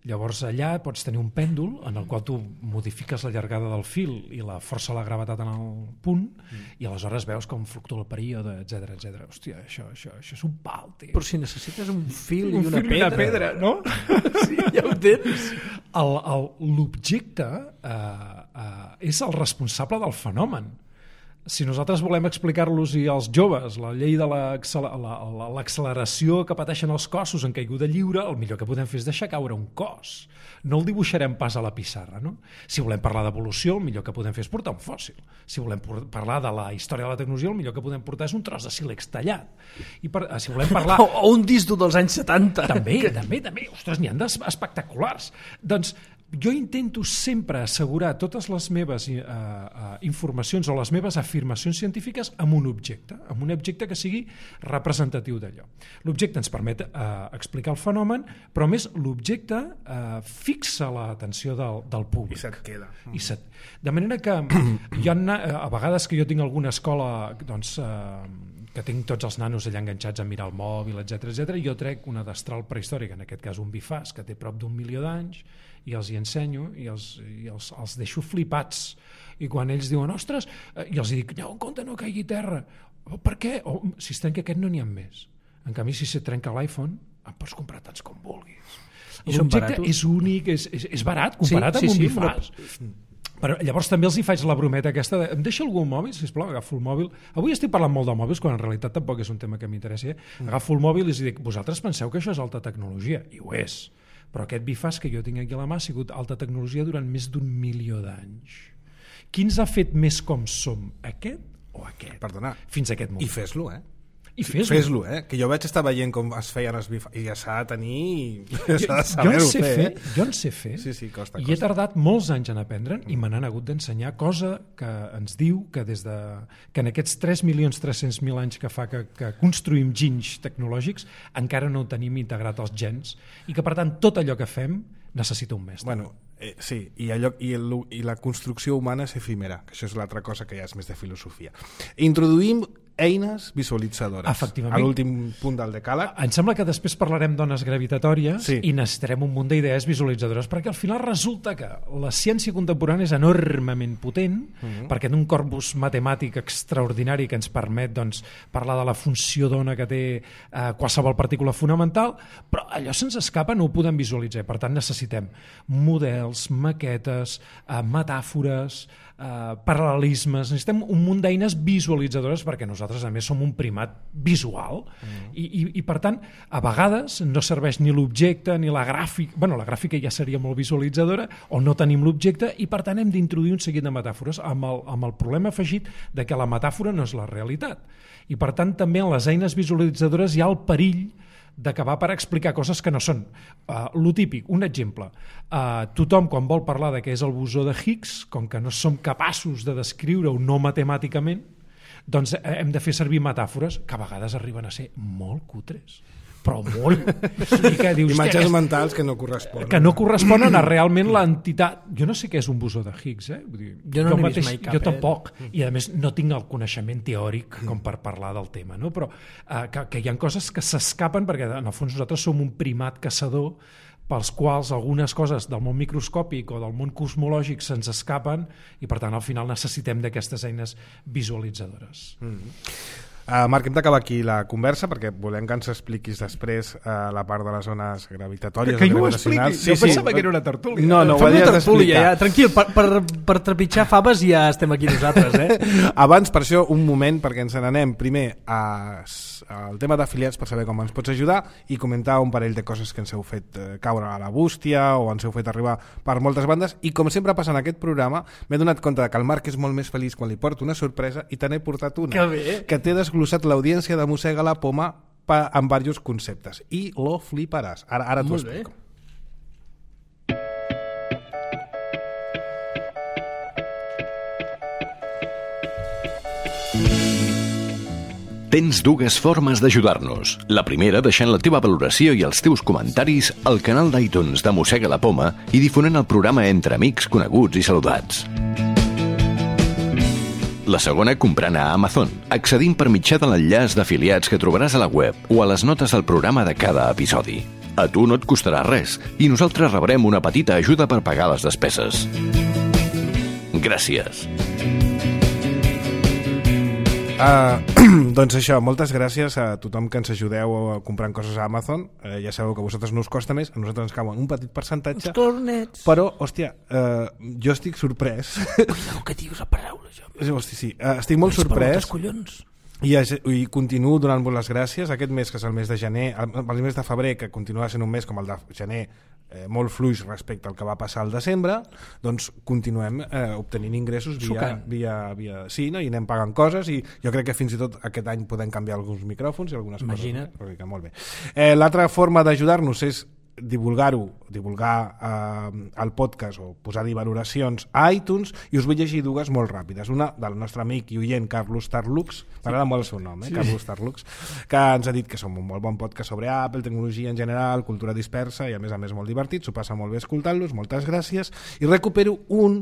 Llavors allà pots tenir un pèndol en el qual tu modifiques la llargada del fil i la força de la gravetat en el punt mm. i aleshores veus com fluctua el període, etcètera, etcètera. Hòstia, això, això, això és un pal, tio. Però si necessites un fil un i una fil pedra. una pedra, no? Sí, ja ho tens. El, el, l'objecte eh, eh, és el responsable del fenomen. Si nosaltres volem explicar-los i als joves la llei de l'acceleració que pateixen els cossos en caiguda lliure, el millor que podem fer és deixar caure un cos. No el dibuixarem pas a la pissarra, no? Si volem parlar d'evolució, el millor que podem fer és portar un fòssil. Si volem parlar de la història de la tecnologia, el millor que podem portar és un tros de sílex tallat. I per, si volem parlar... O, o un disc dels anys setanta. També, també, també. Ostres, n'hi ha d'espectaculars. Doncs jo intento sempre assegurar totes les meves uh, uh, informacions o les meves afirmacions científiques amb un objecte, amb un objecte que sigui representatiu d'allò. L'objecte ens permet uh, explicar el fenomen, però a més l'objecte uh, fixa l'atenció del, del públic. I se't queda. I se't... De manera que hi ha, a vegades que jo tinc alguna escola doncs, uh, que tinc tots els nanos allà enganxats a mirar el mòbil, etcètera, etcètera, i jo trec una destral prehistòrica, en aquest cas un bifàs, que té prop d'un milió d'anys, i els hi ensenyo i els, i els, els deixo flipats. I quan ells diuen, ostres, i els dic, no, en compte, no caigui a terra. Oh, per què? Oh, si es trenca aquest no n'hi ha més. En canvi, si se trenca l'iPhone, en pots comprar tants com vulguis. L'objecte és únic, és, és, és barat, comparat sí, amb sí, un sí, bifàs. Però... Però llavors també els hi faig la brometa aquesta de, em deixa algú un mòbil, sisplau, agafo el mòbil. Avui estic parlant molt de mòbils, quan en realitat tampoc és un tema que m'interessi. Mm. Agafo el mòbil i els dic, vosaltres penseu que això és alta tecnologia? I ho és. Però aquest bifàs que jo tinc aquí a la mà ha sigut alta tecnologia durant més d'un milió d'anys. Qui ens ha fet més com som? Aquest o aquest? Perdona. Fins a aquest moment. I fes-lo, eh? I fes-lo. Fes-lo, eh? Que jo vaig estar veient com es feien els bifàs i ja s'ha de tenir... Ja s'ha de saber-ho jo en sé fer. fer. Eh? Jo en sé fer. Sí, sí, costa, I costa. he tardat molts anys en aprendre'n i me n'han hagut d'ensenyar, cosa que ens diu que des de que en aquests tres milions tres-cents mil anys que fa que, que construïm ginys tecnològics encara no tenim integrat els gens i que per tant tot allò que fem necessita un mestre. Bueno, eh, sí, i, allò, i, el, i la construcció humana és efímera, que això és l'altra cosa que ja és més de filosofia. Introduïm eines visualitzadores. Efectivament. A l'últim punt del decàleg. Em sembla que després parlarem d'ones gravitatòries sí. i necessitarem un munt d'idees visualitzadores, perquè al final resulta que la ciència contemporània és enormement potent, mm-hmm. perquè té un corpus matemàtic extraordinari que ens permet doncs, parlar de la funció d'ona que té eh, qualsevol partícula fonamental, però allò se'ns escapa, no ho podem visualitzar. Per tant, necessitem models, maquetes, eh, metàfores, Uh, paral·lelismes, necessitem un munt d'eines visualitzadores perquè nosaltres a més som un primat visual mm. I, i, i per tant a vegades no serveix ni l'objecte ni la gràfica, bueno la gràfica ja seria molt visualitzadora o no tenim l'objecte i per tant hem d'introduir un seguit de metàfores amb el, amb el problema afegit de que la metàfora no és la realitat i per tant també en les eines visualitzadores hi ha el perill d'acabar per explicar coses que no són. Uh, lo típic, un exemple. Uh, tothom, quan vol parlar de què és el bosó de Higgs, com que no som capaços de descriure-ho no matemàticament, doncs hem de fer servir metàfores que a vegades arriben a ser molt cutres. Però molt. I que dius, imatges mentals que no corresponen. Que no corresponen a realment l'entitat. Jo no sé què és un bosó de Higgs, eh? Vull dir, jo no n'he vist mai cap. Jo tampoc. Eh? I a més no tinc el coneixement teòric com per parlar del tema, no? Però eh, que, que hi ha coses que s'escapen perquè en el fons nosaltres som un primat caçador pels quals algunes coses del món microscòpic o del món cosmològic se'ns escapen i per tant al final necessitem d'aquestes eines visualitzadores. Mm-hmm. Uh, Marc, hem d'acabar aquí la conversa perquè volem que ens expliquis després uh, la part de les zones gravitatòries. Que, que jo ho expliqui, sí, jo sí. pensava que era una tertúlia. No, no, ho havies d'explicar. Ja. Tranquil, per, per, per trepitjar faves ja estem aquí nosaltres. Eh? Abans, per això, un moment perquè ens n'anem primer a, al tema d'afiliats per saber com ens pots ajudar i comentar un parell de coses que ens heu fet eh, caure a la bústia o ens heu fet arribar per moltes bandes i com sempre passa en aquest programa m'he donat compte que el Marc és molt més feliç quan li porto una sorpresa i te n'he portat una que, bé. que té desglossat l'audiència de Mossega la Poma pa, amb diversos conceptes i lo fliparàs. Ara, ara t'ho explico. Tens dues formes d'ajudar-nos. La primera, deixant la teva valoració i els teus comentaris al canal d'iTunes de Mossega la Poma i difonent el programa entre amics, coneguts i saludats. La segona, comprant a Amazon, accedint per mitjà de l'enllaç d'afiliats que trobaràs a la web o a les notes del programa de cada episodi. A tu no et costarà res i nosaltres rebrem una petita ajuda per pagar les despeses. Gràcies. Uh, doncs això, moltes gràcies a tothom que ens ajudeu comprant coses a Amazon. Uh, ja sabeu que a vosaltres no us costa més, a nosaltres ens cauen un petit percentatge. Els cornets. Però, hòstia, uh, jo estic sorprès. Cuidao que dius la paraula, jo. Hòstia, sí, uh, estic molt sorprès. Collons. I, I continuo donant-vos les gràcies. Aquest mes, que és el mes de gener, el, el mes de febrer, que continua sent un mes com el de gener, eh, molt fluix respecte al que va passar al desembre, doncs continuem eh, obtenint ingressos via, via, via... Sí, no? I anem pagant coses i jo crec que fins i tot aquest any podem canviar alguns micròfons i algunes Imagina't. coses. Imagina't. Molt bé. Eh, l'altra forma d'ajudar-nos és divulgar-ho, divulgar eh, el podcast o posar-hi valoracions a iTunes, i us vull llegir dues molt ràpides. Una del nostre amic i oient Carlos Tarlux, m'agrada molt el seu nom, eh? Sí. Carlos Tarlux, que ens ha dit que som un molt bon podcast sobre Apple, tecnologia en general, cultura dispersa i a més a més molt divertit, s'ho passa molt bé escoltant-los, moltes gràcies. I recupero un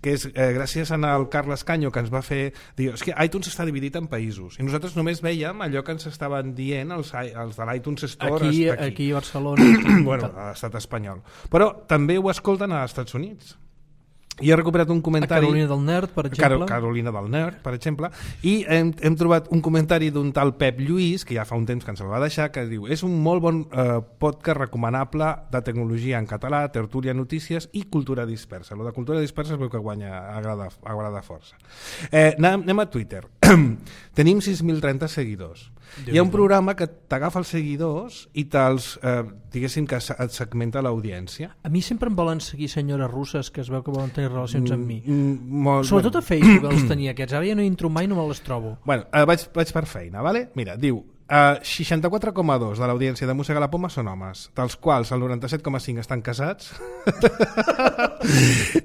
que és eh, gràcies al Carles Canyo, que ens va fer dir, és que iTunes està dividit en països i nosaltres només veiem allò que ens estaven dient els, els de l'iTunes Store aquí, aquí. aquí a Barcelona bueno, a l'estat espanyol, però també ho escolten als Estats Units. I he recuperat un comentari... A Carolina del Nerd, per exemple. Carolina del Nerd, per exemple. I hem, hem trobat un comentari d'un tal Pep Lluís, que ja fa un temps que ens el va deixar, que diu, és un molt bon eh, podcast recomanable de tecnologia en català, tertúlia, notícies i cultura dispersa. Lo de cultura dispersa es veu que guanya, agrada, agrada força. Eh, anem, anem a Twitter. Tenim sis mil trenta seguidors. Hi ha un programa que t'agafa els seguidors i te'ls, eh, diguéssim, que et segmenta l'audiència. A mi sempre em volen seguir senyores russes que es veu que volen tenir relacions amb mi. Mm, molt, Sobretot bueno. a Facebook els tenia aquests. Ara ja no hi entro mai, no me les trobo. Bueno, eh, vaig, vaig per feina, vale? Mira, diu, eh, seixanta-quatre coma dos de l'audiència de Mossega la Poma són homes, dels quals el noranta-set coma cinc estan casats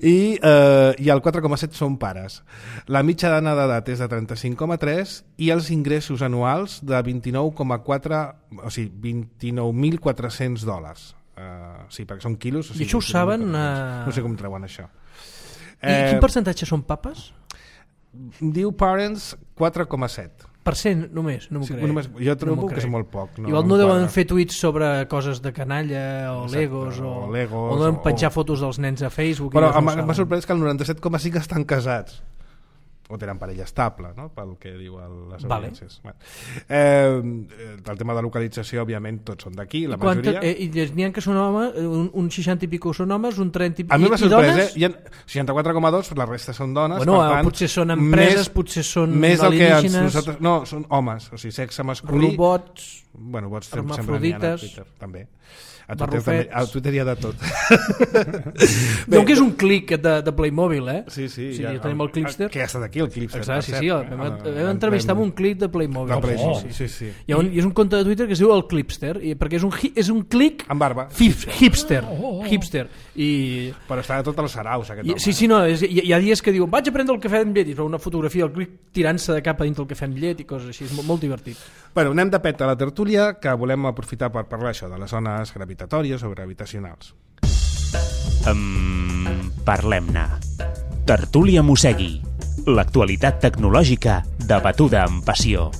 i, eh, i el quatre coma set són pares. La mitjana d'edat és de trenta-cinc coma tres i els ingressos anuals de vint-i-nou coma quatre, o sigui, vint-i-nou mil quatre-cents dòlars. Uh, sí, perquè són quilos. O sigui, I això ho saben... Uh... No sé com treuen això. I eh... quin percentatge són papes? Diu Parents quatre coma set. Per cent només, no m'ho sí, crec. Només, jo trobo no que és molt poc. No, Igual no, no deuen fer tuits sobre coses de canalla o Exacte, Legos o, o, Legos, o deuen penjar o... fotos dels nens a Facebook. Però no m'ha sorprès que el noranta-set coma cinc estan casats. O tenen parella estable, no? Pel que diu el, les audiències. Vale. Bueno. Eh, el tema de localització, òbviament, tots són d'aquí, la I majoria. Eh, I n'hi ha que són homes, un, un seixanta i pico són homes, un trenta i pico. A mi m'ha sorprès, eh? Hi ha seixanta-quatre coma dos, la resta són dones. Bueno, per tant, potser són empreses, més, potser són més alienígenes. Que ens, nosaltres, no, són homes, o sigui, sexe masculí. Robots, bueno, bots sempre n'hi ha a Twitter, també. A Twitter, també, a Twitter hi ha de tot. Veu que és un clic de, de Playmobil, eh? Sí, sí. sí ja, ja tenim el Clipster. Que ja ha estat aquí, el Clipster. Exacte, sí, sí, vam, vam entrevistar amb un clic de Playmobil. De Playmobil, oh, sí, sí, sí. I, un, I és un compte de Twitter que es diu el Clipster, i, perquè és un, és un clic... amb barba. Hip, hipster. Oh, oh. Hipster. I... Però està de tots els saraus, aquest I, home. Sí, sí, no, és, hi, hi ha dies que diu vaig a prendre el cafè amb llet, i fa una fotografia del clic tirant-se de cap a dintre el cafè amb llet i coses així, és molt, molt divertit. Bueno, anem de pet a la tertúlia, que volem aprofitar per parlar això de les zones gravitatòries o gravitacionals. Um, Parlem-ne. Tertúlia Mossegui. L'actualitat tecnològica debatuda amb passió.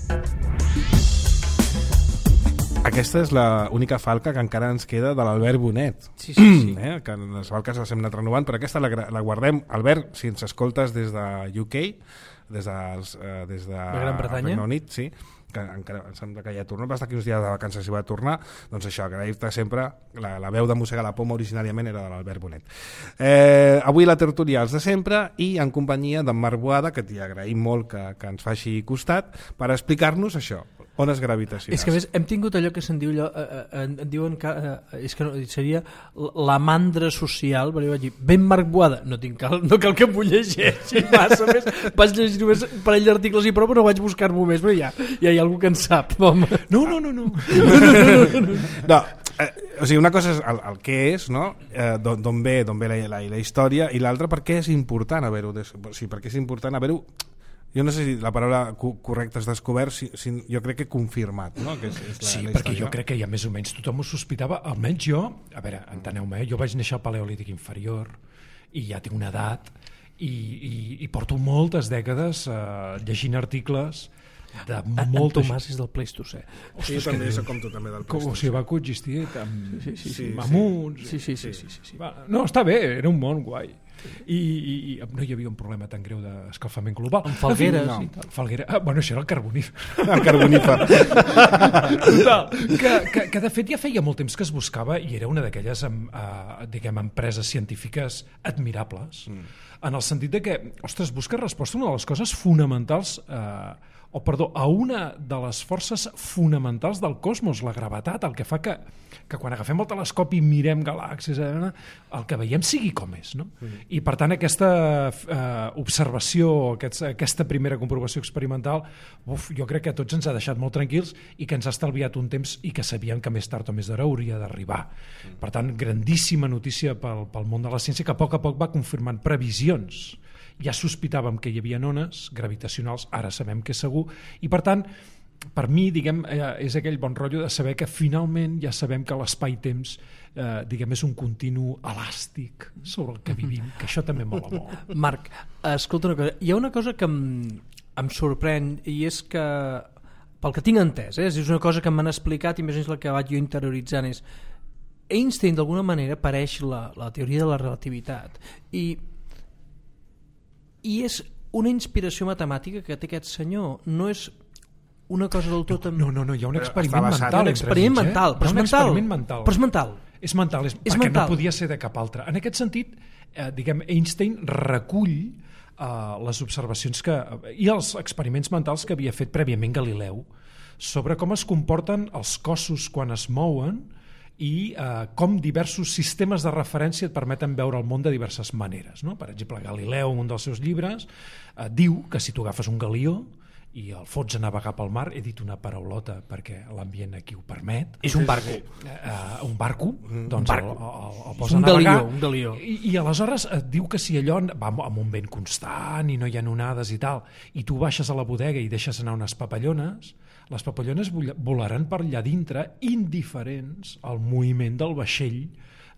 Aquesta és l'única falca que encara ens queda de l'Albert Bonet. Sí, sí, sí. Eh? Que les falques les hem anat renovant, però aquesta la, la guardem. Albert, si ens escoltes des de U K, des de, eh, des de la Gran Bretanya, Regne Unit, sí, que encara em sembla que ja torna, va estar aquí uns dies de vacances i va tornar, doncs això, agrair-te sempre, la, la veu de Mossega la Poma originàriament era de l'Albert Bonet. Eh, avui la tertúlia els de sempre i en companyia d'en Marc Boada, que t'hi agraïm molt que, que ens faci costat, per explicar-nos això, Ones gravitacionals. És que a més hem tingut allò que se'n diu allò, eh, eh, en diuen que eh, és que no, seria la mandra social, perquè vaig dir, ben Marc Boada, no, tinc cal, no cal que m'ho llegeixi massa més, vaig llegir només un parell d'articles i prou, però no vaig buscar-m'ho més, però ja, ja hi ha algú que en sap, home. No, no, no, no. No, eh, o sigui, una cosa és el, el que és, no? Eh, d'on ve, d'on ve la, la, la història, i l'altra per què és important haver-ho, o sigui, per què és important haver-ho, jo no sé si la paraula correcta és descobert, si, si, jo crec que confirmat, no? Que és, és la, sí, la perquè història. jo crec que ja més o menys tothom ho sospitava, almenys jo, a veure, enteneu-me, eh? Jo vaig néixer al Paleolític inferior i ja tinc una edat i, i, i porto moltes dècades eh, llegint articles de molta... En Tomàs és del Pleistocè. Sí, jo també soc com tu, també del Com, o sigui, va coexistir amb, Sí, sí, sí. mamuts... Sí, sí, sí, sí, sí, sí. Va, no, està bé, era un món guai. I, i, i no hi havia un problema tan greu d'escalfament global. Amb falgueres en fi, i tal. Falguera, ah, bueno, això era el carbonífer. El carbonífer. Total, que, que, que de fet ja feia molt temps que es buscava i era una d'aquelles uh, diguem, empreses científiques admirables, mm. en el sentit de que, ostres, busca resposta a una de les coses fonamentals uh, o perdó, a una de les forces fonamentals del cosmos, la gravetat, el que fa que, que quan agafem el telescopi i mirem galàxies, eh, el que veiem sigui com és. No? Mm. I per tant aquesta eh, observació, aquest, aquesta primera comprovació experimental, uf, jo crec que a tots ens ha deixat molt tranquils i que ens ha estalviat un temps i que sabíem que més tard o més d'hora hauria d'arribar. Mm. Per tant, grandíssima notícia pel, pel món de la ciència, que a poc a poc va confirmant previsions. Ja sospitàvem que hi havia ones gravitacionals, ara sabem que és segur, i per tant, per mi, diguem, és aquell bon rotllo de saber que finalment ja sabem que l'espai-temps eh, diguem, és un continu elàstic sobre el que vivim, que això també mola molt. Marc, escolta una cosa, hi ha una cosa que em, em sorprèn i és que, pel que tinc entès, eh, és una cosa que m'han explicat i més o menys la que vaig jo interioritzant és Einstein d'alguna manera pareix la, la teoria de la relativitat i i és una inspiració matemàtica que té aquest senyor, no és una cosa del tot... Amb... No, no, no, hi ha un experiment basat, mental. Un experiment entremig, mental, eh? però és un mental. experiment mental. Però és mental. És mental, és, és perquè mental. no podia ser de cap altre. En aquest sentit, eh, diguem, Einstein recull eh, les observacions que, i els experiments mentals que havia fet prèviament Galileu sobre com es comporten els cossos quan es mouen i eh, com diversos sistemes de referència et permeten veure el món de diverses maneres. No? Per exemple, Galileu, en un dels seus llibres, eh, diu que si tu agafes un galió i el fots a navegar pel mar, he dit una paraulota perquè l'ambient aquí ho permet. És un barco. Eh, un barco, doncs un barco. El, el, el posa un a navegar. Galió, un galió. I, I aleshores et diu que si allò va amb un vent constant i no hi ha onades i tal, i tu baixes a la bodega i deixes anar unes papallones, les papallones volaran per allà dintre indiferents al moviment del vaixell,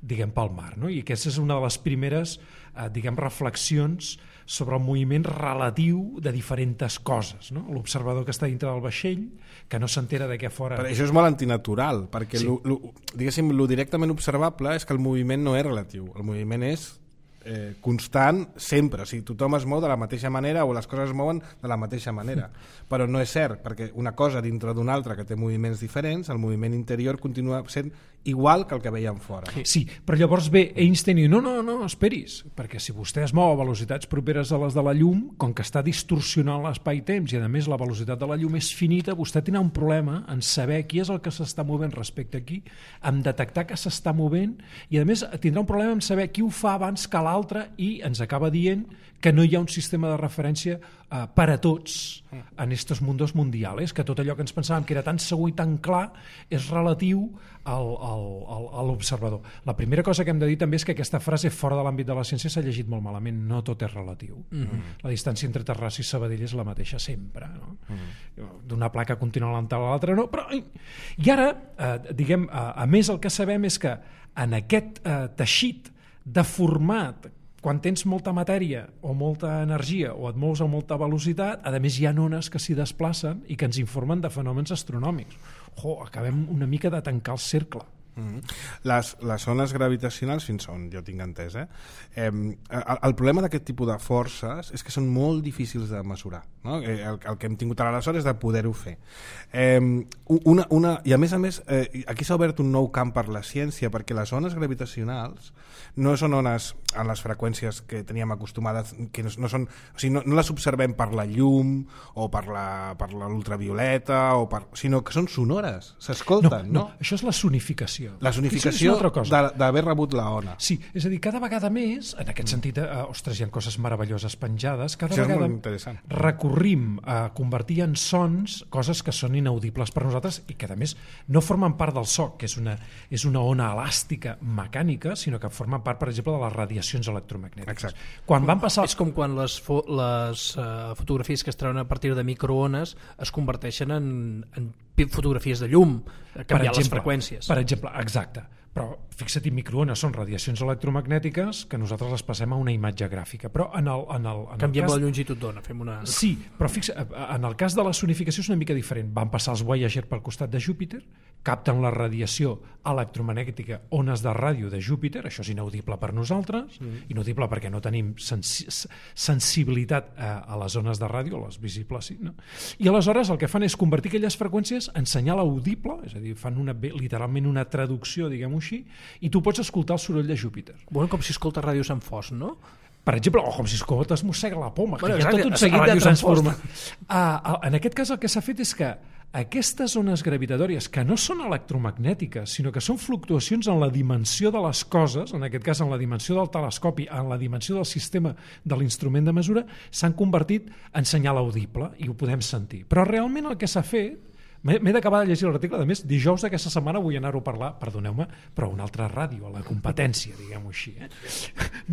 diguem, pel mar. No? I aquesta és una de les primeres eh, diguem, reflexions sobre el moviment relatiu de diferents coses. No? L'observador que està dintre del vaixell, que no s'entera de què fora... Però això és molt antinatural, perquè Sí. lo, lo, diguéssim, lo directament observable és que el moviment no és relatiu, el moviment és eh, constant sempre, o sigui, tothom es mou de la mateixa manera o les coses es mouen de la mateixa manera, però no és cert, perquè una cosa dintre d'una altra que té moviments diferents, el moviment interior continua sent igual que el que veiem fora. Sí, però llavors ve Einstein i diu, no, no, no, esperis, perquè si vostè es mou a velocitats properes a les de la llum, com que està distorsionant l'espai-temps i a més la velocitat de la llum és finita, vostè tindrà un problema en saber qui és el que s'està movent respecte aquí, en detectar que s'està movent i a més tindrà un problema en saber qui ho fa abans que l'altre i ens acaba dient que no hi ha un sistema de referència eh, per a tots en estos mundos mundials, que tot allò que ens pensàvem que era tan segur i tan clar és relatiu al, al, al, a l'observador. La primera cosa que hem de dir també és que aquesta frase fora de l'àmbit de la ciència s'ha llegit molt malament, no tot és relatiu. Mm-hmm. La distància entre Terrassa i Sabadell és la mateixa sempre. No? Mm-hmm. D'una placa continental a l'altra no, però... I ara, eh, diguem, a, a més el que sabem és que en aquest eh, teixit deformat, quan tens molta matèria o molta energia o et mous a molta velocitat, a més hi ha ones que s'hi desplacen i que ens informen de fenòmens astronòmics. Jo, acabem una mica de tancar el cercle. Mm-hmm. Les, les ones gravitacionals, fins on jo tinc entès, eh? Eh, el, el problema d'aquest tipus de forces és que són molt difícils de mesurar, no? El, el que hem tingut aleshores és de poder-ho fer. Eh, una, una, I a més a més, eh, aquí s'ha obert un nou camp per la ciència, perquè les ones gravitacionals no són ones en les freqüències que teníem acostumades, que no, no, són, o sigui, no, no les observem per la llum o per la, per l'ultravioleta, o per, sinó que són sonores, s'escolten, no, no? no? Això és la sonificació. La sonificació d'haver rebut la ona. Sí, és a dir, cada vegada més, en aquest sentit, eh, ostres, hi ha coses meravelloses penjades, cada Això vegada recorrim a convertir en sons coses que són inaudibles per nosaltres i que, a més, no formen part del so, que és una, és una ona elàstica mecànica, sinó que formen part, per exemple, de les radiacions electromagnètiques. Exacte. Quan van passar... És com quan les, fo les uh, fotografies que es treuen a partir de microones es converteixen en, en fotografies de llum, canviant les freqüències. Per exemple, exacte. Però fixa't, microones són radiacions electromagnètiques que nosaltres les passem a una imatge gràfica. Però en el, en el, en Canviem el cas... la longitud d'ona, fem una... Sí, però fixa, en el cas de la sonificació és una mica diferent. Van passar els Voyager pel costat de Júpiter, capten la radiació electromagnètica, ones de ràdio de Júpiter, això és inaudible per nosaltres, mm. inaudible perquè no tenim sensi sensibilitat a, a les ones de ràdio, les visibles sí, no? I aleshores el que fan és convertir aquelles freqüències en senyal audible, és a dir, fan una, literalment una traducció, diguem-ho així, i tu pots escoltar el soroll de Júpiter. Bueno, com si escolta Ràdio Sant Fos, no? Per exemple, o com si escoltes Mossega la Poma, bueno, que hi ha exacte, tot un seguit de transformacions. Uh, en aquest cas el que s'ha fet és que aquestes ones gravitatòries, que no són electromagnètiques, sinó que són fluctuacions en la dimensió de les coses, en aquest cas en la dimensió del telescopi, en la dimensió del sistema de l'instrument de mesura, s'han convertit en senyal audible i ho podem sentir. Però realment el que s'ha fet, m'he d'acabar de llegir l'article, a més, dijous d'aquesta setmana vull anar-ho a parlar, perdoneu-me, però a una altra ràdio, a la competència, diguem-ho així. Eh?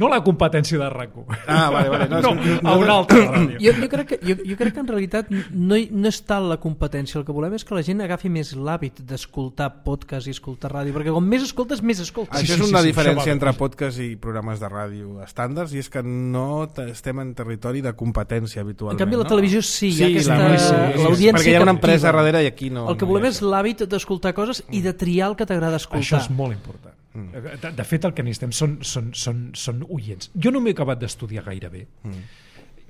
No la competència de RAC u. Ah, vale, vale. No, no, no, a una altra ràdio. Jo, jo, crec que, jo, jo crec que en realitat no, hi, no és tal la competència, el que volem és que la gent agafi més l'hàbit d'escoltar podcast i escoltar ràdio, perquè com més escoltes, més escoltes. Això és una sí, sí, diferència sí, entre podcast i programes de ràdio estàndards, i és que no estem en territori de competència habitualment. En canvi, la televisió sí, sí hi ha aquesta... l'audiència, sí, perquè hi ha una empresa darrere i aquí no. El que volem és l'hàbit d'escoltar coses i de triar el que t'agrada escoltar. Això és molt important. Mm. De, de fet, el que necessitem són, són, són, són oients. Jo no m'he acabat d'estudiar gaire bé, mm.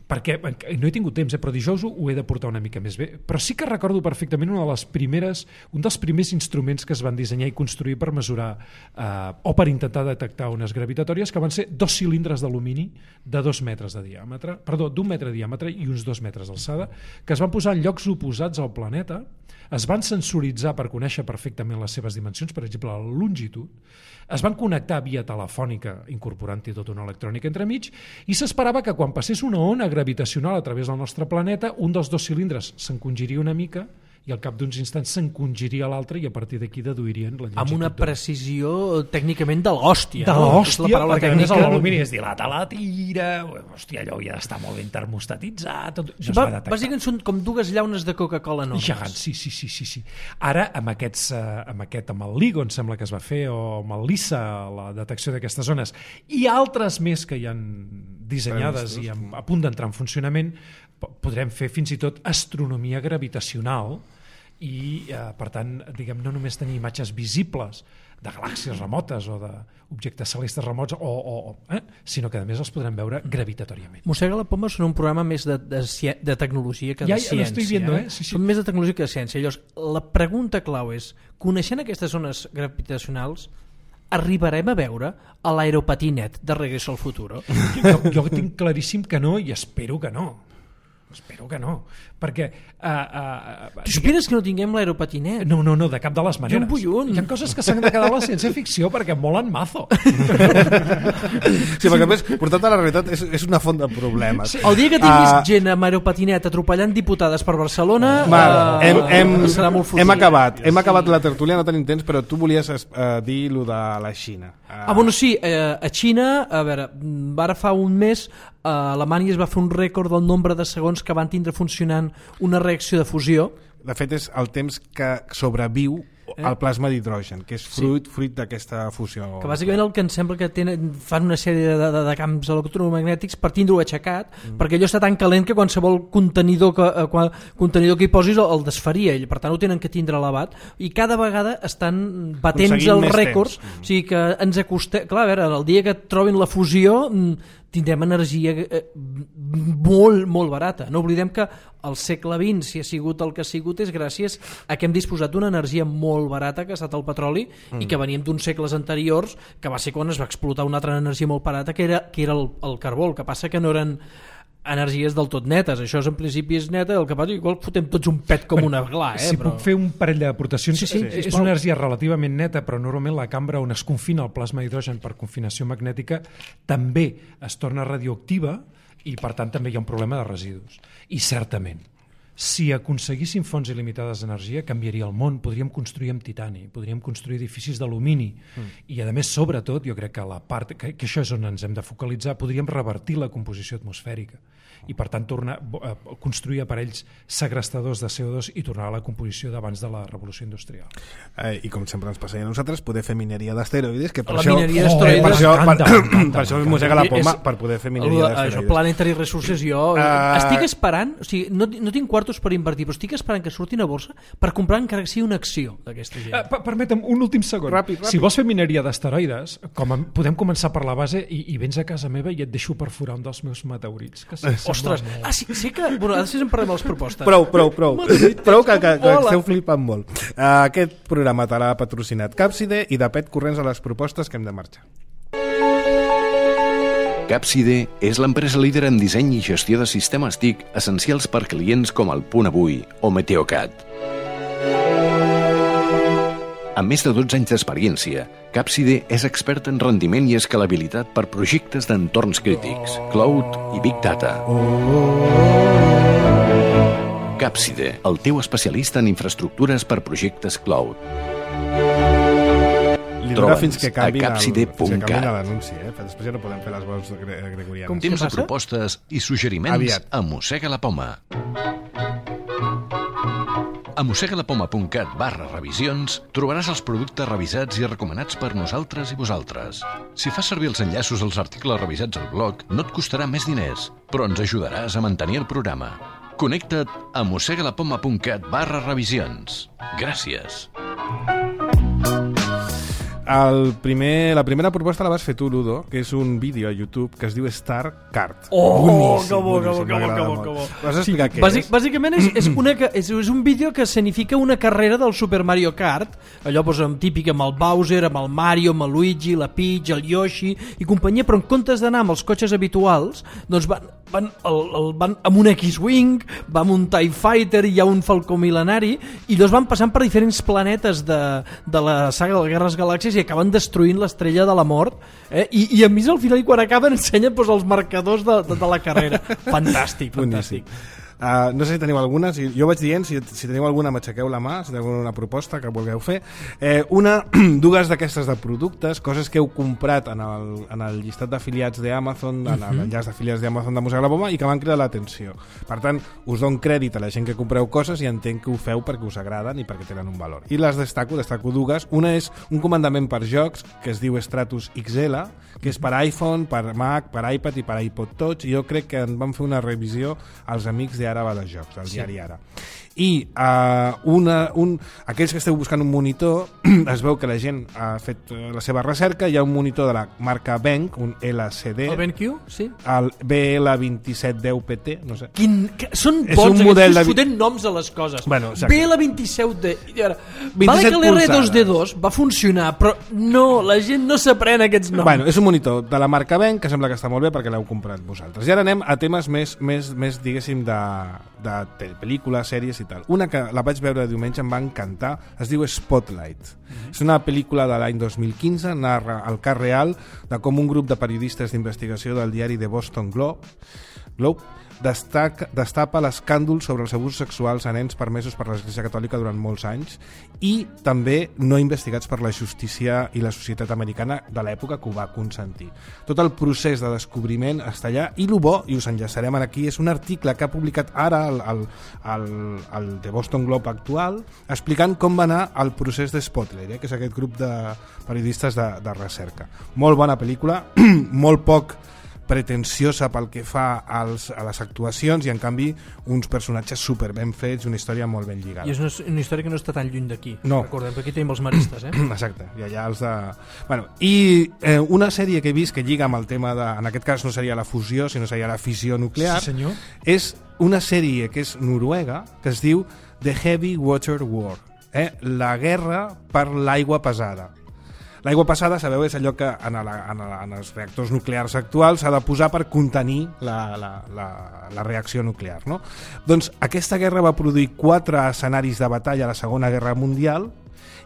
perquè no he tingut temps, eh, però dijous ho he de portar una mica més bé. Però sí que recordo perfectament una de les primeres, un dels primers instruments que es van dissenyar i construir per mesurar eh, o per intentar detectar ones gravitatòries, que van ser dos cilindres d'alumini de dos metres de diàmetre, perdó, d'un metre de diàmetre i uns dos metres d'alçada, que es van posar en llocs oposats al planeta, es van sensoritzar per conèixer perfectament les seves dimensions, per exemple la longitud, es van connectar via telefònica incorporant-hi tota una electrònica entremig, i s'esperava que quan passés una ona gravitacional a través del nostre planeta, un dels dos cilindres s'encongiria una mica i al cap d'uns instants s'encongiria l'altre i a partir d'aquí deduirien la longitud. Amb una precisió tècnicament de l'hòstia. De l'hòstia, no? perquè tècnica... l'alumini es dilata la tira, hòstia, allò havia d'estar molt ben termostatitzat... Tot... No va, bàsicament són com dues llaunes de Coca-Cola enormes. Gegants, sí, sí, sí, sí, sí. Ara, amb, aquests, amb aquest, amb el LIGO, em sembla que es va fer, o amb el LISA, la detecció d'aquestes zones, i altres més que hi han dissenyades i a punt d'entrar en funcionament, podrem fer fins i tot astronomia gravitacional i, eh, per tant, diguem, no només tenir imatges visibles de galàxies remotes o d'objectes celestes remots, o, o, eh? sinó que a més els podrem veure gravitatoriament. Mossega la Poma són un programa més de, de, de tecnologia que de ja, ciència. Ja l'estic viendo, eh? Sí, sí. Són més de tecnologia que de ciència. Llavors, la pregunta clau és, coneixent aquestes zones gravitacionals, arribarem a veure a l'aeropatinet de Regreso al Futuro? Jo, jo tinc claríssim que no i espero que no. Espero que no, perquè... Uh, uh, tu esperes que no tinguem l'aeropatinet? No, no, no, de cap de les maneres. Bullun. Hi ha coses que s'han de quedar a la ciència-ficció perquè molen mazo. Sí, perquè a més, portat a la realitat és, és una font de problemes. Sí. El dia que tinguis uh, gent amb aeropatinet atropellant diputades per Barcelona, Mal, uh, hem, hem, serà molt fotut. Hem acabat, hem acabat la tertúlia, no tenim temps, però tu volies uh, dir lo de la Xina. Uh, ah, bueno, sí, uh, a Xina, a veure, ara fa un mes a Alemanya es va fer un rècord del nombre de segons que van tindre funcionant una reacció de fusió. De fet, és el temps que sobreviu el plasma d'hidrogen, que és fruit, sí. fruit d'aquesta fusió. Que bàsicament el que em sembla que tenen, fan una sèrie de, de, de camps electromagnètics per tindre-ho aixecat, mm. perquè allò està tan calent que qualsevol contenidor que, eh, qual, contenidor que hi posis el, el desfaria ell, per tant ho tenen que tindre elevat, i cada vegada estan batents els rècords, mm. o sigui que ens acostem, clar, a veure, el dia que trobin la fusió tindrem energia eh, molt, molt barata. No oblidem que el segle vint, si ha sigut el que ha sigut, és gràcies a que hem disposat d'una energia molt barata, que ha estat el petroli, mm. i que veníem d'uns segles anteriors, que va ser quan es va explotar una altra energia molt barata, que era, que era el, el carbó. El que passa que no eren energies del tot netes, això en principi és neta, el que passa igual fotem tots un pet com una gla, eh? Si però... puc fer un parell d'aportacions, sí, sí, és una energia relativament neta, però normalment la cambra on es confina el plasma d'hidrogen per confinació magnètica també es torna radioactiva i per tant també hi ha un problema de residus. I certament, si aconseguíssim fonts il·limitades d'energia, canviaria el món, podríem construir amb titani, podríem construir edificis d'alumini mm. i a més, sobretot, jo crec que la part que, que això és on ens hem de focalitzar, podríem revertir la composició atmosfèrica i per tant tornar a construir aparells segrestadors de C O dos i tornar a la composició d'abans de la revolució industrial. Eh, I com sempre ens passa a nosaltres, poder fer mineria d'asteroides, que per la això, mineria oh, d'asteroides per això, per, canta, canta, per això es mossega la poma, és, per poder fer mineria d'asteroides. Això, Planetary Resources, jo uh, estic esperant, o sigui, no, no tinc quartos per invertir, però estic esperant que surtin a borsa per comprar encara que sigui una acció d'aquesta gent. Uh, permetem un últim segon. Ràpid, ràpid. Si vols fer mineria d'asteroides, com a, podem començar per la base i, i vens a casa meva i et deixo perforar un dels meus meteorits. Que Ostres, ah, sí, sí que... Bueno, ara sí en parlem de les propostes. Prou, prou, prou. Prou que, que, que esteu flipant molt. Uh, aquest programa te l'ha patrocinat Capside i de pet corrents a les propostes que hem de marxar. Capside és l'empresa líder en disseny i gestió de sistemes T I C essencials per clients com el Punt Avui o Meteocat. Amb més de dotze anys d'experiència, Capside és expert en rendiment i escalabilitat per projectes d'entorns crítics, cloud i big data. Capside, el teu especialista en infraestructures per projectes cloud. Li dura fins que canvi capside punt cat. l'anunci, eh? Després ja no podem fer les veus gregorianes. Temps de propostes i suggeriments Aviat. a Mossega la Poma. A mossegalapoma.cat barra revisions trobaràs els productes revisats i recomanats per nosaltres i vosaltres. Si fas servir els enllaços als articles revisats al blog, no et costarà més diners, però ens ajudaràs a mantenir el programa. Connecta't a mossegalapoma.cat barra revisions. Gràcies. El primer, la primera proposta la vas fer tu, Ludo, que és un vídeo a YouTube que es diu Star Kart. Oh, boníssim, que bo, que bo, boníssim, que bo, m'agrada que bo, molt. que bo. Vas explicar Sí, què bàsic, és? bàsicament és, és, una, és, és un vídeo que significa una carrera del Super Mario Kart, allò doncs, amb típic amb el Bowser, amb el Mario, amb el Luigi, la Peach, el Yoshi i companyia, però en comptes d'anar amb els cotxes habituals, doncs van, van, el, el, van amb un X-Wing, va amb un TIE Fighter, hi ha un Falcó mil·lenari, i llavors van passant per diferents planetes de, de la saga de les Guerres Galàxies i acaben destruint l'estrella de la mort, eh? I, i a més al final quan acaben ensenyen doncs, els marcadors de, de, de la carrera. Fantàstic, fantàstic. Uh, no sé si teniu alguna, si, jo vaig dient, si, si teniu alguna m'aixequeu la mà, si teniu alguna proposta que vulgueu fer. Eh, una, dues d'aquestes de productes, coses que heu comprat en el, en el llistat d'afiliats d'Amazon, en l'enllaç d'afiliats d'Amazon de Mossega la Poma i que m'han cridat l'atenció. Per tant, us dono crèdit a la gent que compreu coses i entenc que ho feu perquè us agraden i perquè tenen un valor. I les destaco, destaco dues. Una és un comandament per jocs que es diu Stratus X L, que és per iPhone, per Mac, per iPad i per iPod Touch, i jo crec que en van fer una revisió als amics de Ara va de jocs, del diari Ara. I uh, una, un, aquells que esteu buscant un monitor, es veu que la gent ha fet la seva recerca, hi ha un monitor de la marca Benq, un L C D, El BenQ, sí. el B L dos set deu P T, no sé. Quin, que, són És bons, un model aquests de... fotent noms a les coses. Bueno, exacte. B L vint set D... Vale que l'R dos D dos va funcionar, però no, la gent no s'aprèn aquests noms. Bueno, és un monitor de la marca Benq, que sembla que està molt bé perquè l'heu comprat vosaltres. I ara anem a temes més, més, més diguéssim, de, de pel·lícules, sèries i tal. Una que la vaig veure diumenge, em va encantar, es diu Spotlight. Mm-hmm. És una pel·lícula de l'any dos mil quinze, narra el cas real de com un grup de periodistes d'investigació del diari The Boston Globe, Globe destaca, destapa l'escàndol sobre els abusos sexuals a nens permesos per l'Església Catòlica durant molts anys i també no investigats per la justícia i la societat americana de l'època que ho va consentir. Tot el procés de descobriment està allà i el bo, i us enllaçarem aquí, és un article que ha publicat ara el, el, el, el The Boston Globe actual explicant com va anar el procés de Spotlight, eh, que és aquest grup de periodistes de, de recerca. Molt bona pel·lícula, molt poc pretensiosa pel que fa als, a les actuacions i en canvi uns personatges super ben fets, una història molt ben lligada. I és una, una història que no està tan lluny d'aquí. No. Recordem que aquí tenim els maristes, eh? Exacte, i allà els de... Bueno, i eh, una sèrie que he vist que lliga amb el tema de... En aquest cas no seria la fusió, sinó seria la fissió nuclear. Sí, senyor. És una sèrie que és noruega, que es diu The Heavy Water War, eh? La guerra per l'aigua pesada. L'aigua passada, sabeu, és allò que en, la, en, la, en els reactors nuclears actuals s'ha de posar per contenir la, la, la, la reacció nuclear, no? Doncs aquesta guerra va produir quatre escenaris de batalla a la Segona Guerra Mundial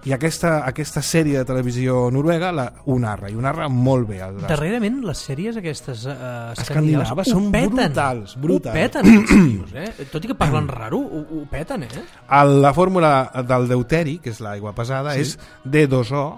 i aquesta, aquesta sèrie de televisió noruega la, ho narra, i ho narra molt bé. El, Darrerament les sèries aquestes uh, escandinaves són peten, brutals, brutals. Ho peten, tios, eh? Tot i que parlen raro, ho, ho peten, eh? La fórmula del deuteri, que és l'aigua pesada, sí, és D dos O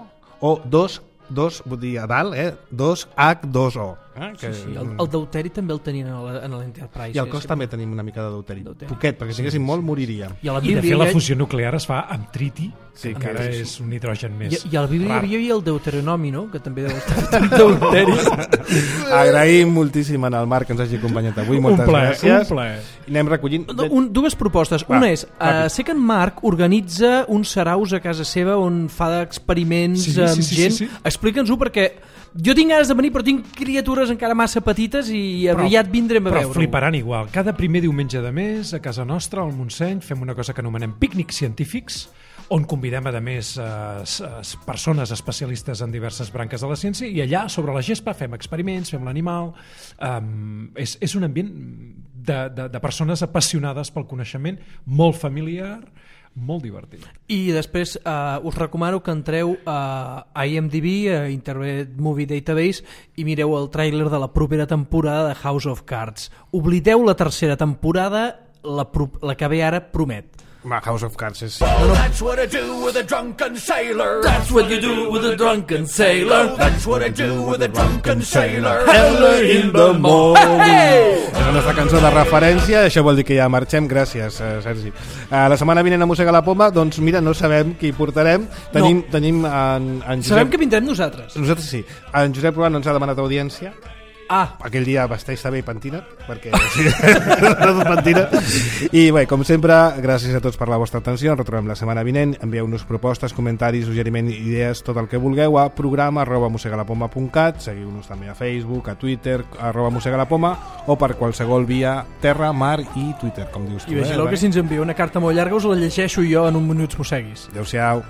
o dos, dos, vull dir, a dalt, eh? dos H dos O. Eh? Que... Sí, sí. El, el deuteri també el tenien en l'Enterprise. I al cos sí, també tenim una mica de deuteri. deuteri. Poquet, perquè si haguéssim molt moriríem. I, a la I de Bíblia, fet la fusió nuclear es fa amb triti, sí, que encara és un nitrogen més I, i al Bíblia rar. hi havia el deuteronomi, no? Que també deu estar amb deuteri. Agraïm moltíssim al Marc que ens hagi acompanyat avui. Moltes un ple, gràcies. Un ple. I anem recollint... No, un, dues propostes. Va, una és, uh, sé que en Marc organitza uns saraus a casa seva on fa experiments sí, amb sí, sí, gent. Sí, sí. Explica'ns-ho perquè jo tinc ganes de venir però tinc criatures encara massa petites i Però- aviat vindrem a Però veure-ho. fliparan igual. Cada primer diumenge de mes, a casa nostra, al Montseny, fem una cosa que anomenem pícnics científics, on convidem, a més, eh, persones especialistes en diverses branques de la ciència, i allà, sobre la gespa, fem experiments, fem l'animal... Um, és, és un ambient de, de, de persones apassionades pel coneixement, molt familiar, molt divertit. I després uh, us recomano que entreu a I M D B, a Internet Movie Database, i mireu el tràiler de la propera temporada de House of Cards. Oblideu la tercera temporada, la, pro- la que ve ara promet. Va, House of Cards és... That's what I do with a drunken sailor. That's what you do with a drunken sailor. That's what I do with a drunken sailor. Early in the morning. És la nostra cançó de referència, això vol dir que ja marxem. Gràcies, eh, Sergi. Uh, la setmana vinent a Mossega la Poma, doncs mira, no sabem qui portarem. Tenim, no. tenim en, en Josep... Sabem que vindrem nosaltres. Nosaltres sí. En Josep Ruan ens ha demanat audiència. Ah, Aquell dia vesteix-se bé i pentina't, perquè sí, pentina't. I bé, com sempre, gràcies a tots per la vostra atenció. Ens retrobem la setmana vinent. Envieu-nos propostes, comentaris, suggeriment, idees, tot el que vulgueu a programa arroba mossegalapoma punt cat. Seguiu-nos també a Facebook, a Twitter, arroba mossegalapoma, o per qualsevol via terra, mar i Twitter, com dius tu. i vigileu eh, que si ens envia una carta molt llarga us la llegeixo jo en un minuts mosseguis. Adéu-siau.